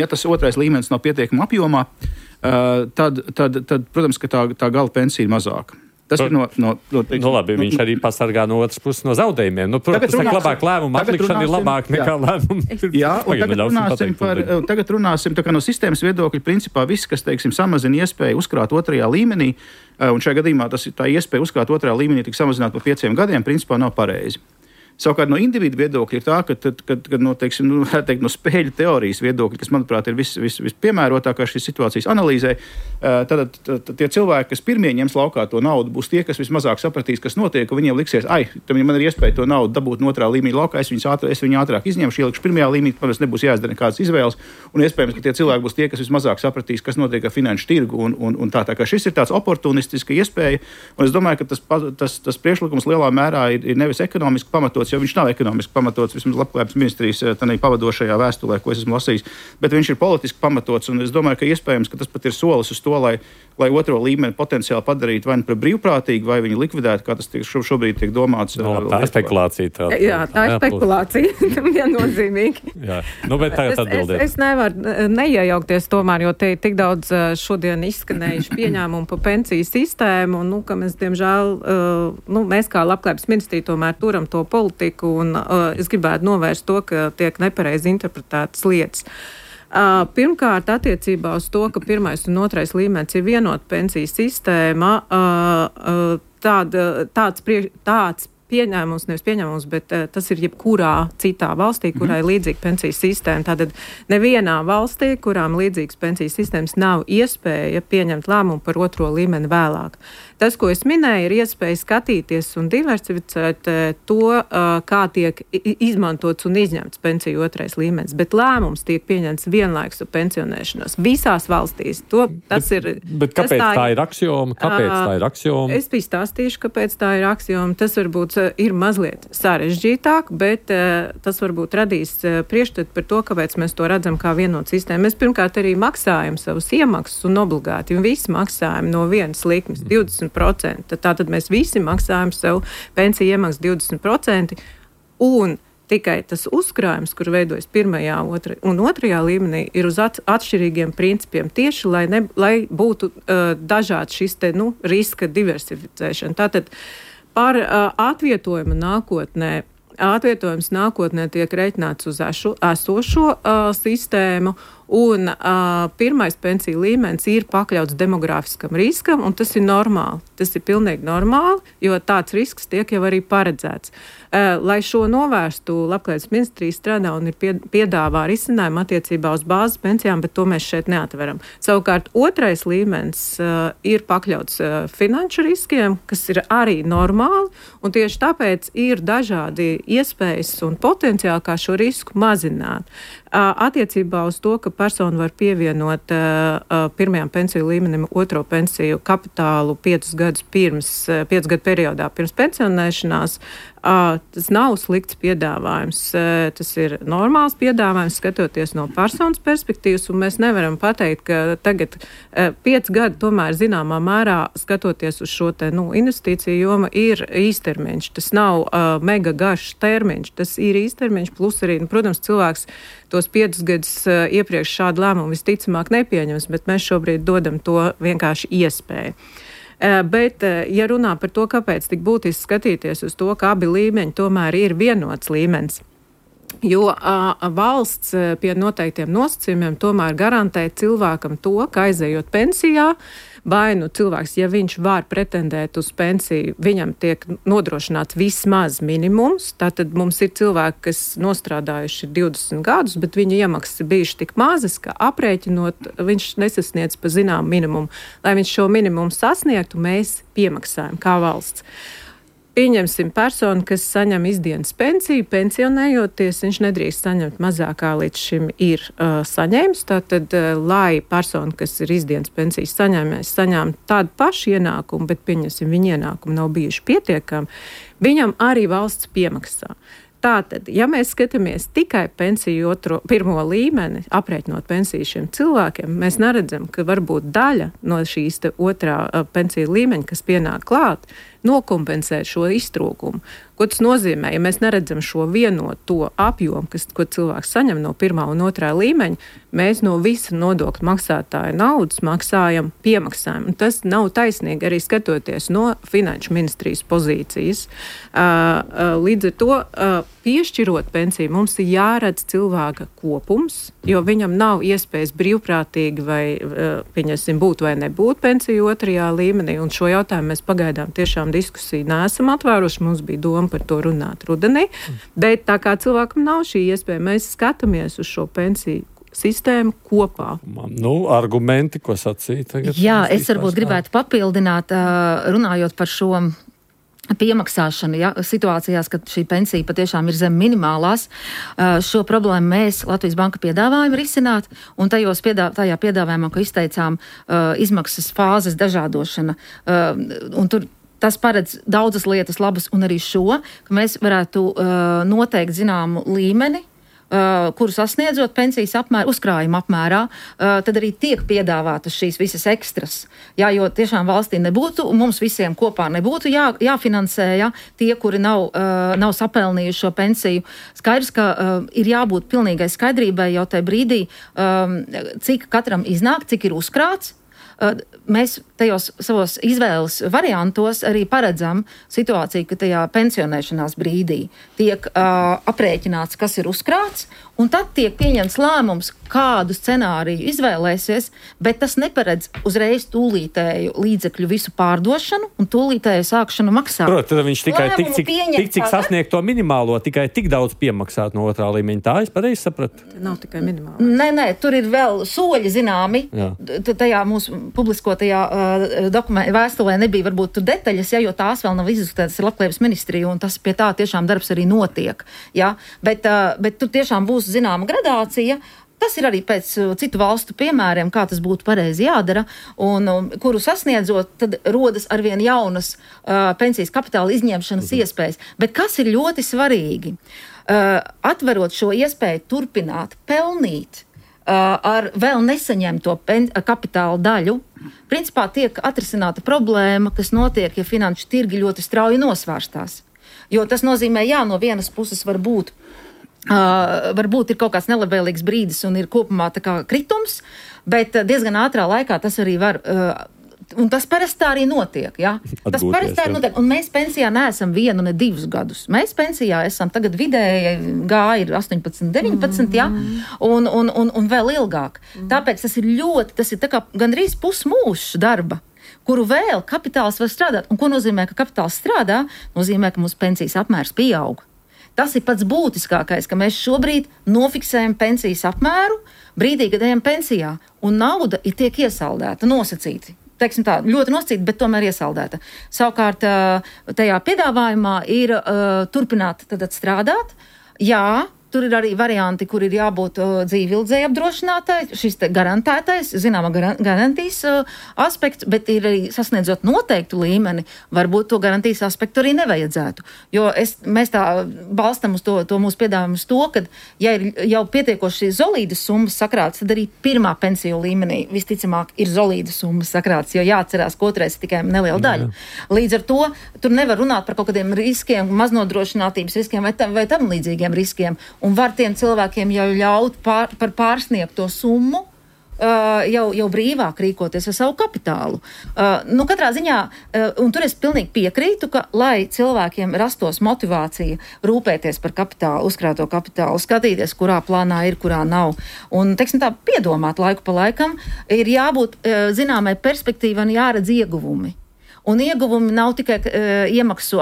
ja tas otrais līmenis nav pietiekami apjomā, tad protams, ka tā gala pensija ir mazāka. Tas ir labi, viņš arī pasargā no otras puses no zaudējumiem. Protams, labāk lēmumu atlikšana ir labāk nekā lēmumu. Jā, un tagad runāsim tā kā no sistēmas viedokļa, principā viss, kas, teiksim, samazina iespēju uzkrāt otrajā līmenī, un šajā gadījumā tā iespēja uzkrāt otrajā līmenī tik samazināt par 5 gadiem, principā nav pareizi. Savukārt no individu viedokļa ir tā, ka no spēļu teorijas viedokļa, kas, manuprāt, ir vispiemērotākā šīs situācijas analīzē, tad tie cilvēki, kas pirmie ņems laukā to naudu, būs tie, kas vismazāk sapratīs, kas notiek, un viņiem liksies, man ir iespēja to naudu dabūt no otrā līmeņa laukā, es viņu ātrāk izņemšu, ielikšu pirmajā līmenī, protams, nebūs jāizdara nekādas izvēles, un iespējams, ka tie cilvēki būs tie, kas vismazāk sapratīs, kas notiek ar finanšu tirgu, un tā kā šis ir tāds oportunistiska iespēja, un es domāju, ka tas priekšlikums lielā mērā ir nevis ekonomiski pamatots, jo viņš nav ekonomiski pamatots, vismaz Labklājības ministrijas pavadošajā vēstulē, ko es esmu lasījis, bet viņš ir politiski pamatots, un es domāju, ka iespējams, ka tas pat ir solis uz to, lai otro līmeni potenciāli padarītu vai par brīvprātīgu, vai viņu likvidētu, kā tas šobrīd tiek domāts. Tā ir spekulācija. Jā, tā ir spekulācija, viennozīmīgi. Bet tagad atbildiet. Es nevaru neiejaukties tomēr, jo te ir tik daudz šodien izskanējuši pieņēmumu par pensiju sistēmu, un, ka mēs, diemžēl, mēs kā Labklājības ministrija tomēr turam to politiku, un es gribētu novērst to, ka tiek nepareizi interpretētas lietas. Pirmkārt, attiecībā uz to, ka pirmais un otrais līmenis ir vienota pensiju sistēma, tāds pieņēmums, nevis pieņēmums, bet tas ir jebkurā citā valstī, kurā ir līdzīga pensiju sistēma. Tātad nevienā valstī, kurām līdzīgas pensiju sistēmas, nav iespēja pieņemt lēmumu par otro līmeni vēlāk. Tas, ko es minēju, ir iespēja skatīties un diversificēt to, kā tiek izmantots un izņemts pensiju otrais līmenis, bet lēmums tiek pieņemts vienlaikus ar pensionēšanos visās valstīs. Bet kāpēc tā ir aksioma? Es stāstīšu, kāpēc tā ir aksioma. Tas varbūt ir mazliet sarežģītāk, bet tas varbūt radīs priekšstatu par to, kāpēc mēs to redzam kā vienotu sistēmu. Mēs pirmkārt arī maksājam savus iemaksas un obligāti, un visi maksājam no vienas likmes 20%. Tātad mēs visi maksājam sev pensiju iemaksas 20%, un tikai tas uzkrājums, kur veidojas pirmajā un otrajā līmenī, ir uz atšķirīgiem principiem tieši, lai būtu dažāds šis riska diversificēšana. Tātad par atvietojumu nākotnē. Atvietojums nākotnē tiek reiķināts uz esošo sistēmu, un pirmais pensiju līmenis ir pakļauts demografiskam riskam, un tas ir normāli. Tas ir pilnīgi normāli, jo tāds risks tiek jau arī paredzēts. Lai šo novērstu, Labklājības ministrija strādā un ir piedāvā risinājumu attiecībā uz bāzes pensijām, bet to mēs šeit neatveram. Savukārt otrais līmenis ir pakļauts finanšu riskiem, kas ir arī normāli, un tieši tāpēc ir dažādi iespējas un potenciāli, kā šo risku mazināt. Attiecībā uz to, ka persona var pievienot pirmajām pensiju līmenim otro pensiju kapitālu 5 gadu periodā pirms pensionēšanās, tas nav slikts piedāvājums. Tas ir normāls piedāvājums, skatoties no personas perspektīvas, un mēs nevaram pateikt, ka tagad 5 gadi tomēr zināmā mērā, skatoties uz šo investīciju jomu, ir īstermiņš. Tas nav mega garš termiņš, tas ir īstermiņš, plus arī, protams, cilvēks tos 5 gadus iepriekš šādu lēmumu visticamāk nepieņems, bet mēs šobrīd dodam to vienkārši iespēju. Bet, ja runā par to, kāpēc tik būtiski skatīties uz to, ka abi līmeņi tomēr ir vienots līmenis, jo valsts pie noteiktiem nosacījumiem tomēr garantē cilvēkam to, ka aizejot pensijā, vai cilvēks, ja viņš var pretendēt uz pensiju, viņam tiek nodrošināts vismaz minimums. Tātad mums ir cilvēki, kas nostrādājuši 20 gadus, bet viņa iemaksas ir bijuši tik mazas, ka aprēķinot, viņš nesasniedz pa zināmu minimumu. Lai viņš šo minimumu sasniegtu, mēs piemaksājam kā valsts. Pieņemsim personu, kas saņem izdienas pensiju, pensionējoties, viņš nedrīkst saņemt mazākā līdz šim ir saņēmis. Tātad, lai persona, kas ir izdienas pensijas saņēmējs, saņēma tādu pašu ienākumu, bet pieņemsim, viņa ienākumu nav bijuši pietiekami, viņam arī valsts piemaksā. Tātad, ja mēs skatāmies tikai pensiju pirmo līmeni, aprēķinot pensiju šiem cilvēkiem, mēs neredzam, ka varbūt daļa no šīs otrā pensiju līmeņa, kas pienāk klāt, nokompensē šo iztrūkumu. Ko tas nozīmē? Ja mēs neredzam šo vienoto apjomu, ko cilvēks saņem no pirmā un otrā līmeņa, mēs no visa nodokļu maksātāja naudas maksājam piemaksājumu. Un tas nav taisnīgi arī skatoties no Finanšu ministrijas pozīcijas. Līdz ar to, piešķirot pensiju, mums ir jāredz cilvēka kopums, jo viņam nav iespējas brīvprātīgi vai, pieņemsim, būt vai nebūt pensiju otrajā līmenī. Un šo jautājumu mēs pagaidām tiešām diskusiju neesam atvēruši. Mums bija doma par to runāt rudenī, bet tā kā cilvēkam nav šī iespēja, mēs skatāmies uz šo pensiju sistēmu kopā. Argumenti, ko sacīt tagad? Jā, es varbūt gribētu papildināt, runājot par šo piemaksāšanu, ja, situācijās, kad šī pensija patiešām ir zem minimālās. Šo problēmu mēs Latvijas Banka piedāvājam risināt, un tajā piedāvājumā, ko izteicām, izmaksas fāzes dažādošana, un tur tas paredz daudzas lietas labas, un arī šo, ka mēs varētu noteikt zināmu līmeni, kuru sasniedzot pensijas uzkrājuma apmērā, tad arī tiek piedāvātas šīs visas ekstras. Jā, jo tiešām valstī nebūtu, mums visiem kopā nebūtu jāfinansē, ja, tie, kuri nav sapelnījuši šo pensiju. Skaidrs, ka ir jābūt pilnīgai skaidrībai jau tajā brīdī, cik katram iznāk, cik ir uzkrāts. Mēs tajos savos izvēles variantos arī paredzam situāciju, ka tajā pensionēšanās brīdī tiek aprēķināts, kas ir uzkrāts, un tad tiek pieņemts lēmums, kādu scenāriju izvēlēsies, bet tas neparedz uzreiz tūlītēju līdzekļu visu pārdošanu un tūlītēju sākšanu maksāt. Protams, tad viņš tikai tik, cik sasniegt to minimālo, tikai tik daudz piemaksāt no otrā līmeņa. Tā es pareizi sapratu? Nav tikai minimāli. Nē, tur ir vēl soļi zināmi. Tajā mūsu publiskotajā vēstulē nebija varbūt tur detaļas, ja, jo tās vēl nav izdiskutētas ar Labklājības ministriju, un tas pie tā tiešām darbs arī notiek. Ja. Bet tur tiešām būs zināma gradācija. Tas ir arī pēc citu valstu piemēriem, kā tas būtu pareizi jādara, un kuru sasniedzot, tad rodas arvien jaunas pensijas kapitāla izņemšanas iespējas. Bet kas ir ļoti svarīgi? Atverot šo iespēju turpināt pelnīt ar vēl nesaņemto kapitāla daļu, principā tiek atrisināta problēma, kas notiek, ja finanšu tirgi ļoti strauji nosvērstās. Jo tas nozīmē, jā, no vienas puses varbūt ir kaut kāds nelabvēlīgs brīdis un ir kopumā tā kā kritums, bet diezgan ātrā laikā tas arī var, un tas parasti tā arī notiek, jā. Tas parasti tā arī notiek, un mēs pensijā neesam 1 ne 2 gadus. Mēs pensijā esam tagad vidēji gāja ir 18, 19, jā, un vēl ilgāk. Tāpēc tas ir tā kā gandrīz pusmūžs darba, kuru vēl kapitāls var strādāt. Un ko nozīmē, ka kapitāls strādā? Nozīmē, ka mūsu pensijas apmērs pieaug. Tas ir pats būtiskākais, ka mēs šobrīd nofiksējam pensijas apmēru brīdī, kad ejam pensijā, un nauda tiek iesaldēta, nosacīti. Teiksim tā, ļoti nosacīta, bet tomēr iesaldēta. Savukārt tajā piedāvājumā ir turpināt tad strādāt. Jā, tur ir arī varianti, kur ir jābūt dzīvildzēji apdrošinātāji, šis te garantētais, zināma garantijas aspekts, bet ir arī sasniedzot noteiktu līmeni, varbūt to garantijas aspektu arī nevajadzētu. Jo mēs tā balstam uz to mūsu piedāvājumu uz to, ka, ja ir jau pietiekoši solīdas summas sakrāts, tad arī pirmā pensiju līmenī visticamāk ir solīdas summas sakrāts, jo jāatcerās, ka otrais ir tikai neliela daļa. Līdz ar to tur nevar runāt par kaut kādiem riskiem, maznodrošinātības riskiem vai tam līdzīgiem riskiem. Un var tiem cilvēkiem jau ļaut par pārsniegto summu jau brīvāk rīkoties ar savu kapitālu. Katrā ziņā, un tur es pilnīgi piekrītu, ka, lai cilvēkiem rastos motivācija rūpēties par kapitālu, uzkrāto kapitālu, skatīties, kurā plānā ir, kurā nav, un, teiksim tā, piedomāt laiku pa laikam, ir jābūt zināmai perspektīvai un jāredz ieguvumi. Un ieguvumi nav tikai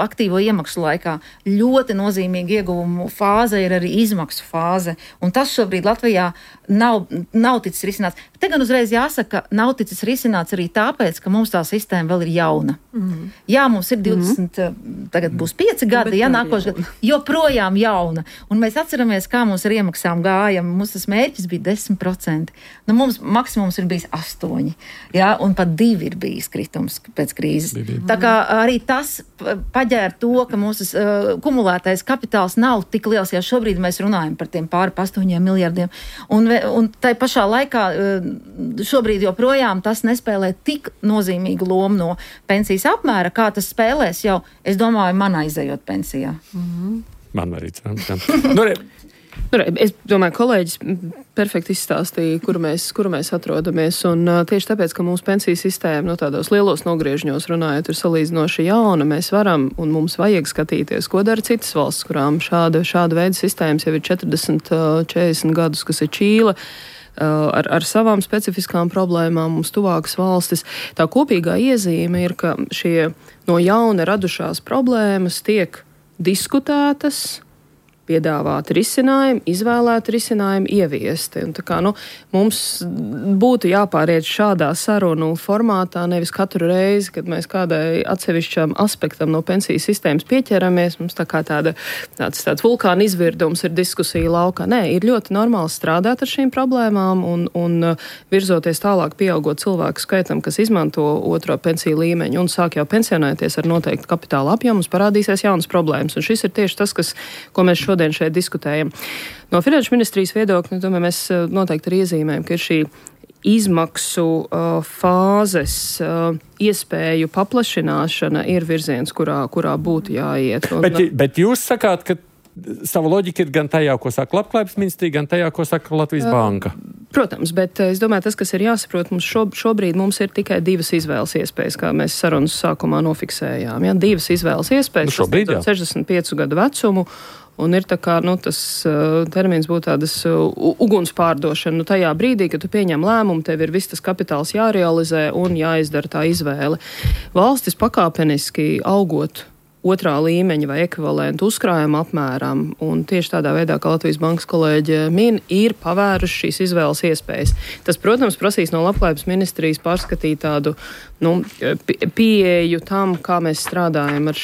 aktīvo iemaksu laikā. Ļoti nozīmīga ieguvumu fāze ir arī izmaksu fāze. Un tas šobrīd Latvijā nav ticis risināts. Te gan uzreiz jāsaka, ka nav ticis risināts arī tāpēc, ka mums tā sistēma vēl ir jauna. Jā, mums ir 20, tagad būs 5 gadi, nākošais gadu, joprojām jauna. Un mēs atceramies, kā mums ar iemaksām gāja. Mums tas mērķis bija 10%. Nu, mums maksimums ir bijis 8%. Jā, un pat 2 ir bijis kritums pēc krīzes. Tā kā arī tas paģēra to, ka mūsu kumulētais kapitāls nav tik liels, ja šobrīd mēs runājam par tiem pāri 8 miljardiem. Un tai pašā laikā šobrīd joprojām tas nespēlē tik nozīmīgu lomu no pensijas apmēra, kā tas spēlēs jau, es domāju, man aizejot pensijā. Man arī cerams. Es domāju, kolēģis perfekti izstāstīja, kur mēs atrodamies. Un tieši tāpēc, ka mūsu pensiju sistēma tādos lielos nogriežņos runājot ir salīdzinoši jauna, mēs varam un mums vajag skatīties, ko dara citas valsts, kurām šāda veida sistēmas jau ir 40 gadus, kas ir Čīle. Ar savām specifiskām problēmām mums tuvākas valstis. Tā kopīgā iezīme ir, ka šie no jauna radušās problēmas tiek diskutētas, piedāvāti risinājumi, izvēlēti risinājumi, ieviesti. Un tā kā, mums būtu jāpāriet šādā sarunu formātā, nevis katru reizi, kad mēs kādai atsevišķam aspektam no pensijas sistēmas pieķeramies, mums tā kā tāds vulkāna izvirdums ir diskusija laukā. Nē, ir ļoti normāli strādāt ar šīm problēmām un virzoties tālāk pieaugot cilvēku skaitam, kas izmanto otro pensiju līmeņu un sāk jau pensionēties ar noteiktu kapitāla apjomu, mums parādīsies jaunas problēmas. Un šis ir tieši tas, ko mēs šodien šeit diskutējam. No Finanšu ministrijas viedokļa, domāju, mēs noteikti arī iezīmējam, ka ir šī izmaksu fāzes iespēju paplašināšana ir virziens, kurā būtu jāiet. Bet jūs sakāt, ka sava loģika ir gan tajā, ko saka Labklājības ministrija, gan tajā, ko saka Latvijas Banka. Protams, bet es domāju, tas, kas ir jāsaprot, mums šobrīd mums ir tikai 2 izvēles iespējas, kā mēs sarunas sākumā nofiksējām. Ja? 2 izvēles iespējas, šobrīd, 65 gadu vecumu, un ir tā kā, tas termins būtu tādas uguns pārdošana. Tajā brīdī, kad tu pieņem lēmumu, tev ir viss tas kapitāls jārealizē un jāizdara tā izvēle. Valstis pakāpeniski augot otrā līmeņa vai ekvivalentu uzkrājuma apmēram, un tieši tādā veidā, kā Latvijas Bankas kolēģi min, ir pavēruši šīs izvēles iespējas. Tas, protams, prasīs no Labklājības ministrijas pārskatīt tādu pieeju tam, kā mēs strādājam ar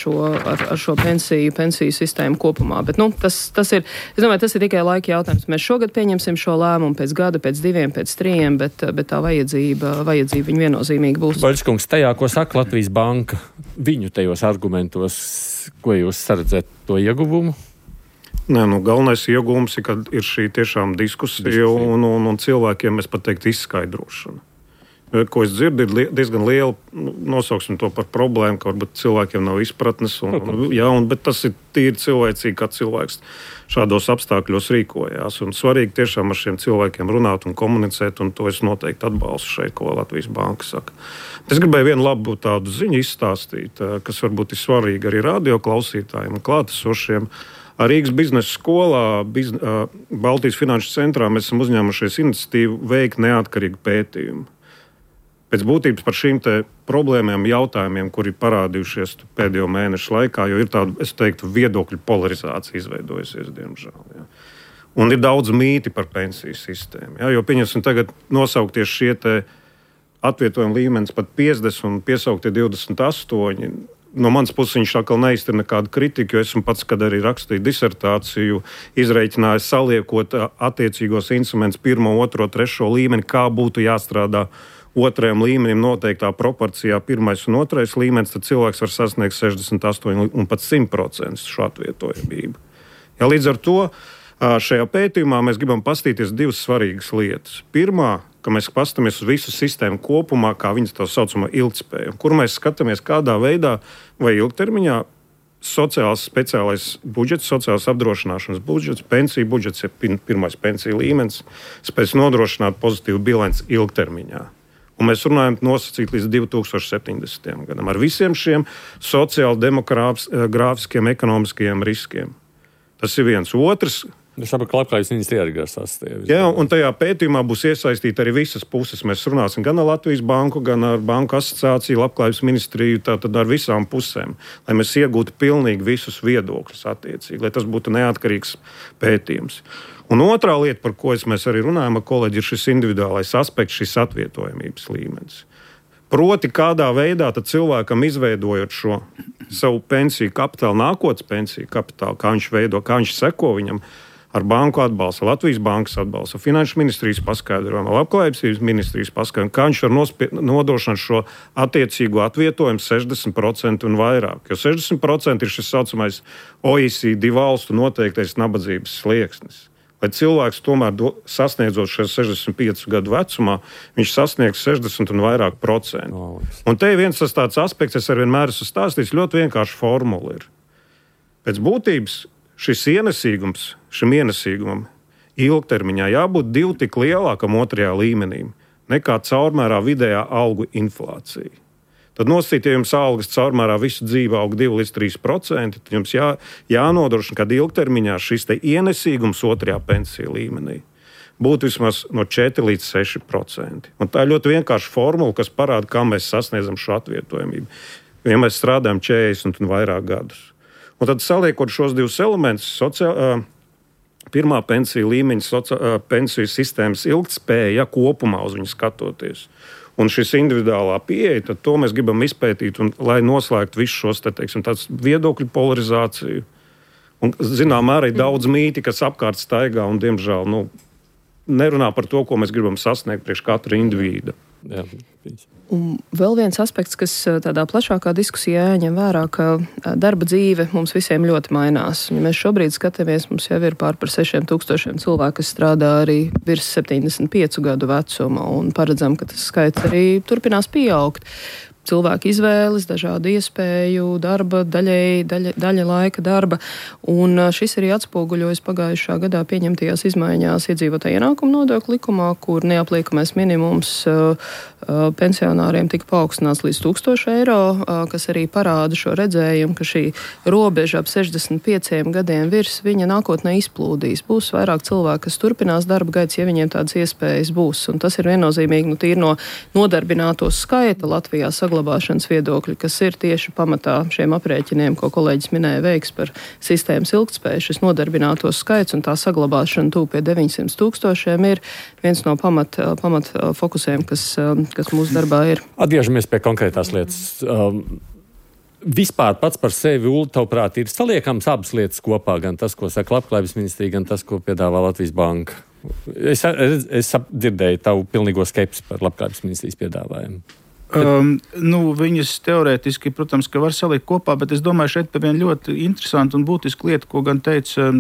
šo pensiju sistēmu kopumā. Bet, es domāju, tas ir tikai laika jautājums. Mēs šogad pieņemsim šo lēmumu pēc gada, pēc 2, pēc 3, bet tā vajadzība viņa viennozīmīgi būs. Baļķiskungs, tajā, ko saka Latvijas Banka, viņu tajos argumentos, ko jūs saredzat to ieguvumu? Nē, galvenais ieguvums ir, kad ir šī tiešām diskusija un cilvēkiem, es pat teiktu, izskaidrošana. Ko es dzirdu, ir diezgan liela, nosauksim to par problēmu, ka varbūt cilvēkiem nav izpratnes, bet tas ir tīri cilvēcīgi, kā cilvēks šādos apstākļos rīkojās. Un svarīgi tiešām ar šiem cilvēkiem runāt un komunicēt, un to es noteikti atbalstu šeit, ko Latvijas Banka saka. Es gribēju vienu labu tādu ziņu izstāstīt, kas varbūt ir svarīgi arī radioklausītājiem un klātesošiem. Rīgas biznesa skolā, Baltijas finanšu centrā mēs esam uzņēmušies iniciatīvu veikt neatkarīgu pētījumu. Pēc būtības par šīm problēmām, jautājumiem, kuri parādījušies pēdējo mēnešu laikā, jo ir tāda, es teiktu, viedokļu polarizācija izveidojusies, diemžēl. Ja. Un ir daudz mīti par pensiju sistēmu. Ja, jo, pieņemsim, tagad nosaukties šie atvietojuma līmenis pat 50 un piesauktie 28. No manas puses viņš atkal neiztur nekādu kritiku, jo esmu pats, kad arī rakstīju disertāciju, izreikinājis saliekot attiecīgos instrumentus 1, 2, 3 līmeni, kā būtu jāstrādā otrajam līmenim noteiktā proporcijā 1. un 2. līmenis, tad cilvēks var sasniegt 68 un pat 100% šo atvietojamību. Ja, līdz ar to šajā pētījumā mēs gribam paskatīties 2 svarīgas lietas. Pirmā, ka mēs paskatāmies uz visu sistēmu kopumā, kā viņas tā saucamā ilgtspēja, kur mēs skatāmies kādā veidā vai ilgtermiņā sociāls speciālais budžets, sociālās apdrošināšanas budžets, pensiju budžets, ja 1. pensiju līmenis, spēs nodrošināt pozitīvu bilanci ilgtermiņā. Un mēs runājam nosacīt līdz 2070. gadam ar visiem šiem sociāli demogrāfiskiem, ekonomiskajiem riskiem. Tas ir viens. Otrs, Labklājības ministrija arī grasās. Jā, un tajā pētījumā būs iesaistīta arī visas puses. Mēs runāsim gan ar Latvijas banku, gan ar Banku asociāciju, Labklājības ministriju, tātad ar visām pusēm, lai mēs iegūtu pilnīgi visus viedokļus attiecīgi, lai tas būtu neatkarīgs pētījums. Un otrā lieta, par ko mēs arī runājam ar kolēģi, ir šis individuālais aspekts, šis atvietojamības līmenis. Proti, kādā veidā cilvēkam izveidojot šo savu pensiju kapitālu, nākotnes pensiju kapitālu, kā viņš veido, kā viņš seko viņam ar banku atbalstu, Latvijas bankas atbalstu, Finanšu ministrijas paskaidrojumu, Labklājības ministrijas paskaidrojumu, kā viņš var nodrošināt šo attiecīgo atvietojumu 60% un vairāk. Jo 60% ir šis saucamais OECD valstu noteiktais nabadzības slieksnis. Lai cilvēks tomēr sasniedzot šo 65 gadu vecumā, viņš sasniegs 60 un vairāk procentu. Un te ir viens tas tāds aspekts, es arī vienmēr esmu stāstījis, ļoti vienkārši formula ir. Pēc būtības šis šim ienesīgumam ilgtermiņā jābūt 2 tik lielākam otrajā līmenī nekā caurmērā vidējā algu inflācija. Tad nosacīt, ja jums algas caurmērā visu dzīvi aug 2 līdz 3%, tad jums jānodrošina, ka ilgtermiņā šis te ienesīgums otrajā pensiju līmenī būtu vismaz no 4 līdz 6%. Un tā ir ļoti vienkārša formula, kas parāda, kā mēs sasniedzam šo atvietojamību. Ja mēs strādājam 40 un vairāk gadus. Un tad saliekot šos divus elementus, pirmā pensiju līmeņa pensiju sistēmas ilgtspēja kopumā uz viņu skatoties. Un šis individuālā pieeja, tad to mēs gribam izpētīt, un, lai noslēgtu visus šos tāds viedokļu polarizāciju. Un, zinām, arī daudz mīti, kas apkārt staigā un, diemžēl, nerunā par to, ko mēs gribam sasniegt priekš katra indivīda. Jā. Un vēl viens aspekts, kas tādā plašākā diskusijā jāņem vērā, ka darba dzīve mums visiem ļoti mainās. Ja mēs šobrīd skatāmies, mums jau ir pār 6,000 cilvēku, kas strādā arī virs 75 gadu vecuma, un paredzam, ka tas skaits arī turpinās pieaugt. Cilvēku izvēles, dažādu iespēju, darba, daļa laika darba. Un šis arī atspoguļojas pagājušā gadā pieņemtajās izmaiņās iedzīvotāju ienākumu nodokļu likumā, kur neapliekamais minimums pensionāriem tika paaugstināts līdz 1,000 eiro, kas arī parāda šo redzējumu, ka šī robeža ap 65 gadiem virs viņa nākotnē izplūdīs. Būs vairāk cilvēku, kas turpinās darba gaitas, ja viņiem tādas iespējas būs. Un tas ir viennozīmīgi tīri no nodarbināto skaita Latvijā saglabāšanas viedokļi, kas ir tieši pamatā šiem aprēķiniem, ko kolēģis minēja veiks par sistēmas ilgtspēju. Šis nodarbināto skaits un tā saglabāšana tuvu pie 900 000 ir viens no pamat fokusiem, kas mūsu darbā ir. Atgriežamies pie konkrētās lietas. Vispār pats par sevi, Ulu, tavuprāt, ir saliekams abas lietas kopā, gan tas, ko saka Labklājības ministrija, gan tas, ko piedāvā Latvijas banka. Es dzirdēju tavu pilnīgo skepsi par Labklājības ministrijas piedāvājumu. Viņas teorētiski, protams, ka var salikt kopā, bet es domāju šeit par vienu ļoti interesantu un būtisku lietu, ko gan teica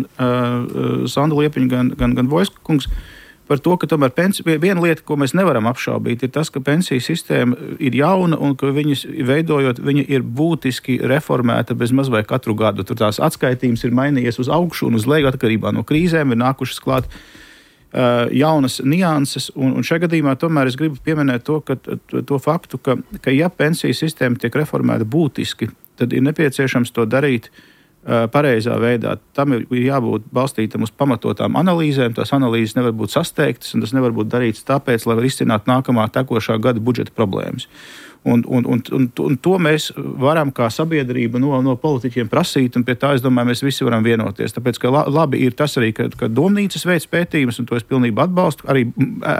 Sandra Liepiņa, gan Vojska kungs, par to, ka tomēr viena lieta, ko mēs nevaram apšaubīt, ir tas, ka pensiju sistēma ir jauna un ka viņas veidojot, viņa ir būtiski reformēta bez maz vai katru gadu. Tur tās atskaitījums ir mainījies uz augšu un uz leju atkarībā no krīzēm, ir nākušas klāt jaunas nianses, un šajā gadījumā tomēr es gribu pieminēt to faktu, ka ja pensiju sistēma tiek reformēta būtiski, tad ir nepieciešams to darīt pareizā veidā. Tam ir jābūt balstītam uz pamatotām analīzēm, tās analīzes nevar būt sasteigtas, un tas nevar būt darīts tāpēc, lai var izcināt nākamā tekošā gada budžeta problēmas. Un to mēs varam kā sabiedrība no politiķiem prasīt, un pie tā, es domāju, mēs visi varam vienoties. Tāpēc, ka labi ir tas arī, ka domnīcas veids pētījumus, un to es pilnībā atbalstu, arī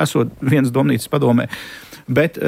esot vienas domnīcas padomē. Bet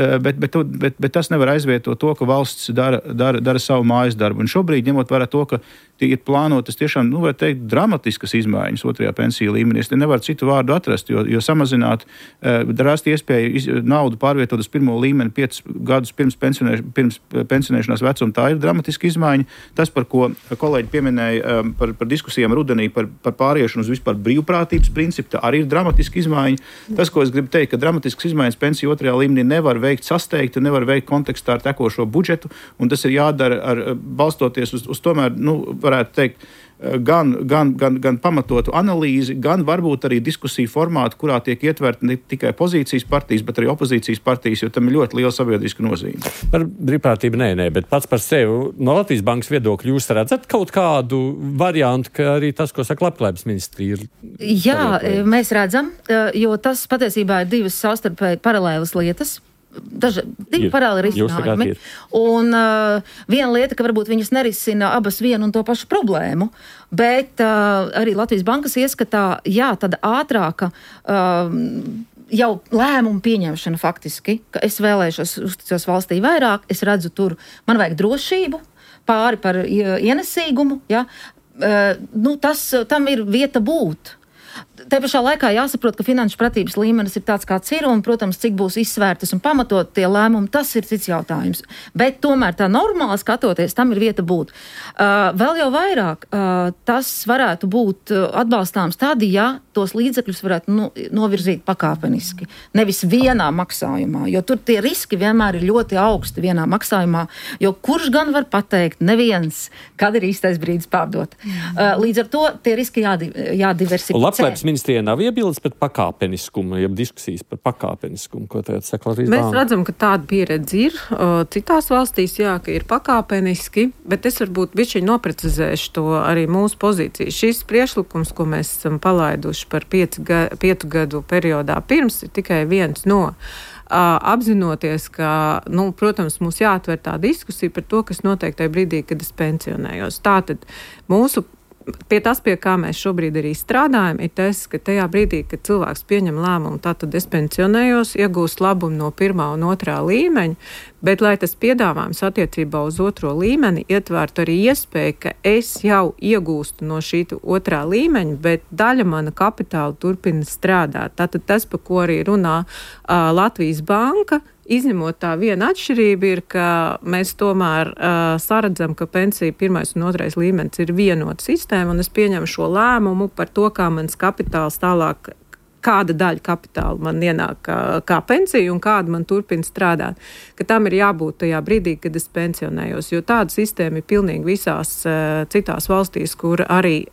tas nevar aizvietot to, ka valsts dara savu mājas darbu. Un šobrīd, ņemot vērā to, ka ir plānotas tiešām, var teikt, dramatiskas izmaiņas otrajā pensiju līmenī, es te nevaru citu vārdu atrast, jo samazināt, rast iespēju naudu pārvietot uz pirmo līmeni 5 gadus pirms pensionēšanās vecuma, tā ir dramatiska izmaiņa. Tas, par ko kolēģi pieminēja par diskusijām rudenī, par pāriešanu uz vispār brīvprātības principu, tā arī ir dramatiska izmaiņa. Tas, ko es gribu teikt, ka dramatiskas izmaiņas pensiju otrajā līmenī nevar veikt sasteigti, nevar veikt kontekstā ar tekošo budžetu, un tas ir jādara balstoties uz tomēr, varētu teikt, gan pamatotu analīzi, gan varbūt arī diskusiju formātu, kurā tiek ietverti ne tikai pozīcijas partijas, bet arī opozīcijas partijas, jo tam ir ļoti liela sabiedriska nozīme. Par brīvprātību nē, bet pats par sevi no Latvijas bankas viedokļa jūs redzat kaut kādu variantu, ka arī tas, ko saka Labklājības ministrija, ir? Jā, mēs redzam, jo tas patiesībā ir divas savstarpēji paralēlas lietas. Divi paralēli risinājumi. Un viena lieta, ka varbūt viņas nerisina abas vienu un to pašu problēmu, bet arī Latvijas bankas ieskatā, jā, tāda ātrāka jau lēmumu pieņemšana faktiski, ka es vēlēšos uzticos valstī vairāk, es redzu tur, man vajag drošību, pāri par ienesīgumu, ja? Tam ir vieta būt. Te pašā laikā jāsaprot, ka finanšu pratības līmenis ir tāds, kāds ir, un, protams, cik būs izsvērtas un pamatot tie lēmumi, tas ir cits jautājums. Bet tomēr tā normāli skatoties, tam ir vieta būt. Vēl jau vairāk tas varētu būt atbalstāms tad, ja tos līdzekļus varētu novirzīt pakāpeniski. Nevis vienā maksājumā, jo tur tie riski vienmēr ir ļoti augsti vienā maksājumā, jo kurš gan var pateikt, neviens, kad ir īstais brīdis pārdot. Līdz ar to tie riski jādiversificē. Labklājības ministrijai nav iebildes pret pakāpeniskumu, jeb diskusijas par pakāpeniskumu, ko tagad saka Latvijas banka? Mēs redzam, ka tāda pieredze ir citās valstīs, jā, ka ir pakāpeniski, bet es varbūt bišķiņ noprecizēšu to arī mūsu pozīciju. Šis priekšlikums, ko mēs esam palaiduši par 5 gadu periodā pirms, ir tikai viens no. Apzinoties, ka, protams, mums jāatver tā diskusija par to, kas notiek tajā brīdī, kad es pensionējos. Tātad pie kā mēs šobrīd arī strādājam, ir tas, ka tajā brīdī, kad cilvēks pieņem lēmumu, tātad es pensionējos, iegūst labumu no 1. un 2. līmeņa, bet, lai tas piedāvājums attiecībā uz 2. līmeni ietvērtu arī iespēju, ka es jau iegūstu no šī 2. līmeņa, bet daļa mana kapitāla turpina strādāt. Tātad tas, par ko arī runā Latvijas banka, izņemot tā viena atšķirība ir, ka mēs tomēr saredzam, ka pensija 1. un 2. līmenis ir vienota sistēma, un es pieņemu šo lēmumu par to, kā mans kapitāls tālāk, kāda daļa kapitāla man ienāk kā pensija un kāda man turpina strādāt, ka tam ir jābūt tajā brīdī, kad es pensionējos, jo tāda sistēma ir pilnīgi visās citās valstīs, kur arī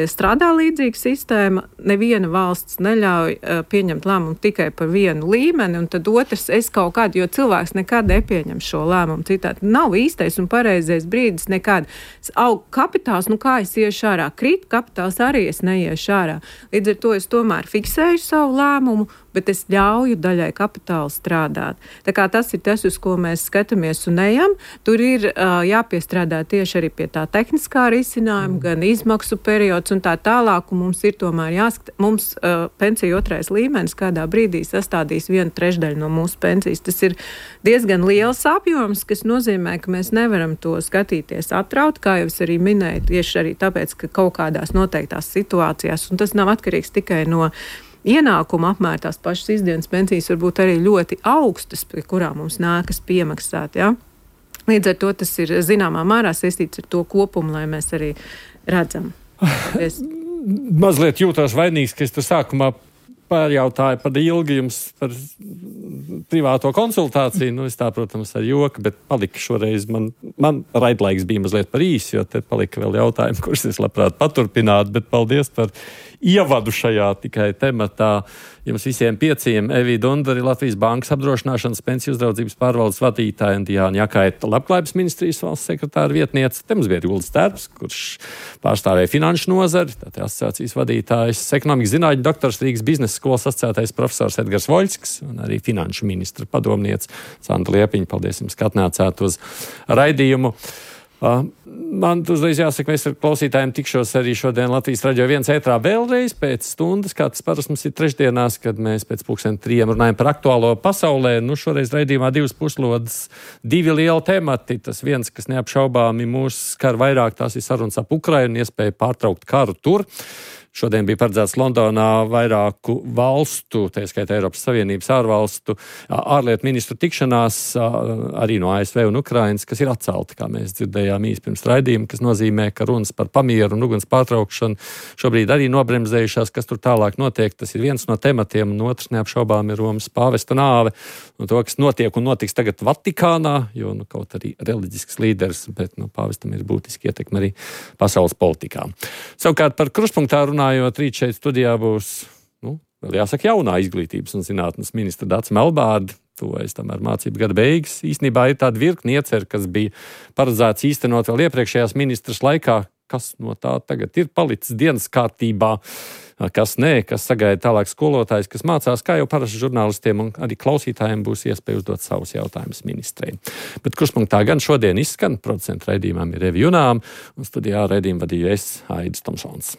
strādā līdzīga sistēma. Neviena valsts neļauj pieņemt lēmumu tikai par vienu līmeni, un tad otrs es kaut kādu, jo cilvēks nekad nepieņem šo lēmumu citādi. Nav īstais un pareizais brīdis nekad. Aug kapitāls, kā es iešu ārā? Krīt kapitāls, arī es neiešu ārā. Līdz ar to es tomēr fiksēju savu lēmumu, bet es ļauju daļai kapitāla strādāt. Tā kā tas ir tas, uz ko mēs skatāmies un ejam. Tur ir jāpiestrādā tieši arī pie tā tehniskā risinājuma, gan izmaksu periods un tā tālāk, un mums ir tomēr jāskatās. Mums pensija 2. līmenis kādā brīdī sastādīs 1/3 no mūsu pensijas. Tas ir diezgan liels apjoms, kas nozīmē, ka mēs nevaram to skatīties atraut, kā jau es arī minēju, tieši arī tāpēc, ka kaut kādās noteiktās situācijās, un tas nav atkarīgs tikai no ienākuma apmēra, tās pašas izdienas pensijas var būt arī ļoti augstas, pie kurām mums nākas piemaksāt. Ja? Līdz ar to tas ir zināmā mērā saistīts ar to kopumu, lai mēs arī redzam. Mazliet jūtos vainīgs, ka es tur sākumā pārjautāju par ilgi jums par privāto konsultāciju. Es tā, protams, ar joku, bet palika šoreiz man raidlaiks bija mazliet par īsi, jo te palika vēl jautājumi, kurus es labprāt paturpinātu, bet paldies par ievadu šajā tikai tematā. Jums visiem 5 Evija Dundari, Latvijas bankas apdrošināšanas pensiju uzraudzības pārvaldes vadītāja, un Diāna Jakaita, Labklājības ministrijas valsts sekretāra vietniece. Te mums bija Uldis Tērps, kurš pārstāvēja finanšu nozari, tātad asociācijas vadītājs, ekonomikas zinātņu doktors, Rīgas biznesa skolas asociētais profesors Edgars Voļskis un arī finanšu ministra padomniece Sandra Liepiņa. Paldies jums, ka atnācāt uz raidījumu. Man uzreiz jāsaka, mēs ar klausītājiem tikšos arī šodien Latvijas Radio 1 ētrā vēlreiz pēc stundas, kā tas parasti mums ir trešdienās, kad mēs pēc 3:00 runājam par aktuālo pasaulē. Šoreiz raidījumā 2 puslodes, 2 lieli temati. Tas viens, kas neapšaubāmi mūs skar vairāk, tās ir sarunas ap Ukrainu, iespēja pārtraukt karu tur. Šodien bija paredzēts Londonā vairāku valstu, tā skaitā Eiropas Savienības ārlietu ministru tikšanās, arī no ASV un Ukrainas, kas ir atcelta, kā mēs dzirdējām īsi pirms raidījuma, kas nozīmē, ka runas par pamieru un uguns pārtraukšanu šobrīd arī nobremzējušās, kas tur tālāk notiek. Tas ir viens no tematiem, un otrs neapšaubām ir Romas pāvesta nāve, un to, kas notiek un notiks tagad Vatikānā, jo kaut arī reliģisks līderis, bet pāvestam ir būtiski ietekme arī pasaules politikā. Savukārt par kruspunktā runājot, rīt šeit studijā būs, vēl jāsaka, jaunā izglītības un zinātnes ministra Dats Melbārde. Tuvojas tomēr mācību gada beigas. Īsnībā ir tāda virkni ieceru, kas bija paredzēts īstenot vēl iepriekšējās ministras laikā. Kas no tā tagad ir palicis dienas kārtībā, kas nē, kas sagaida tālāk skolotājs, kas mācās, kā jau parasti žurnālistiem un arī klausītājiem būs iespēja uzdot savus jautājumus ministrei. Bet kruspunktā gan šodien izskan, producentu raidījumam ir Evi Junām, un studijā raidījumu vadīju es, Aidis Tomsons.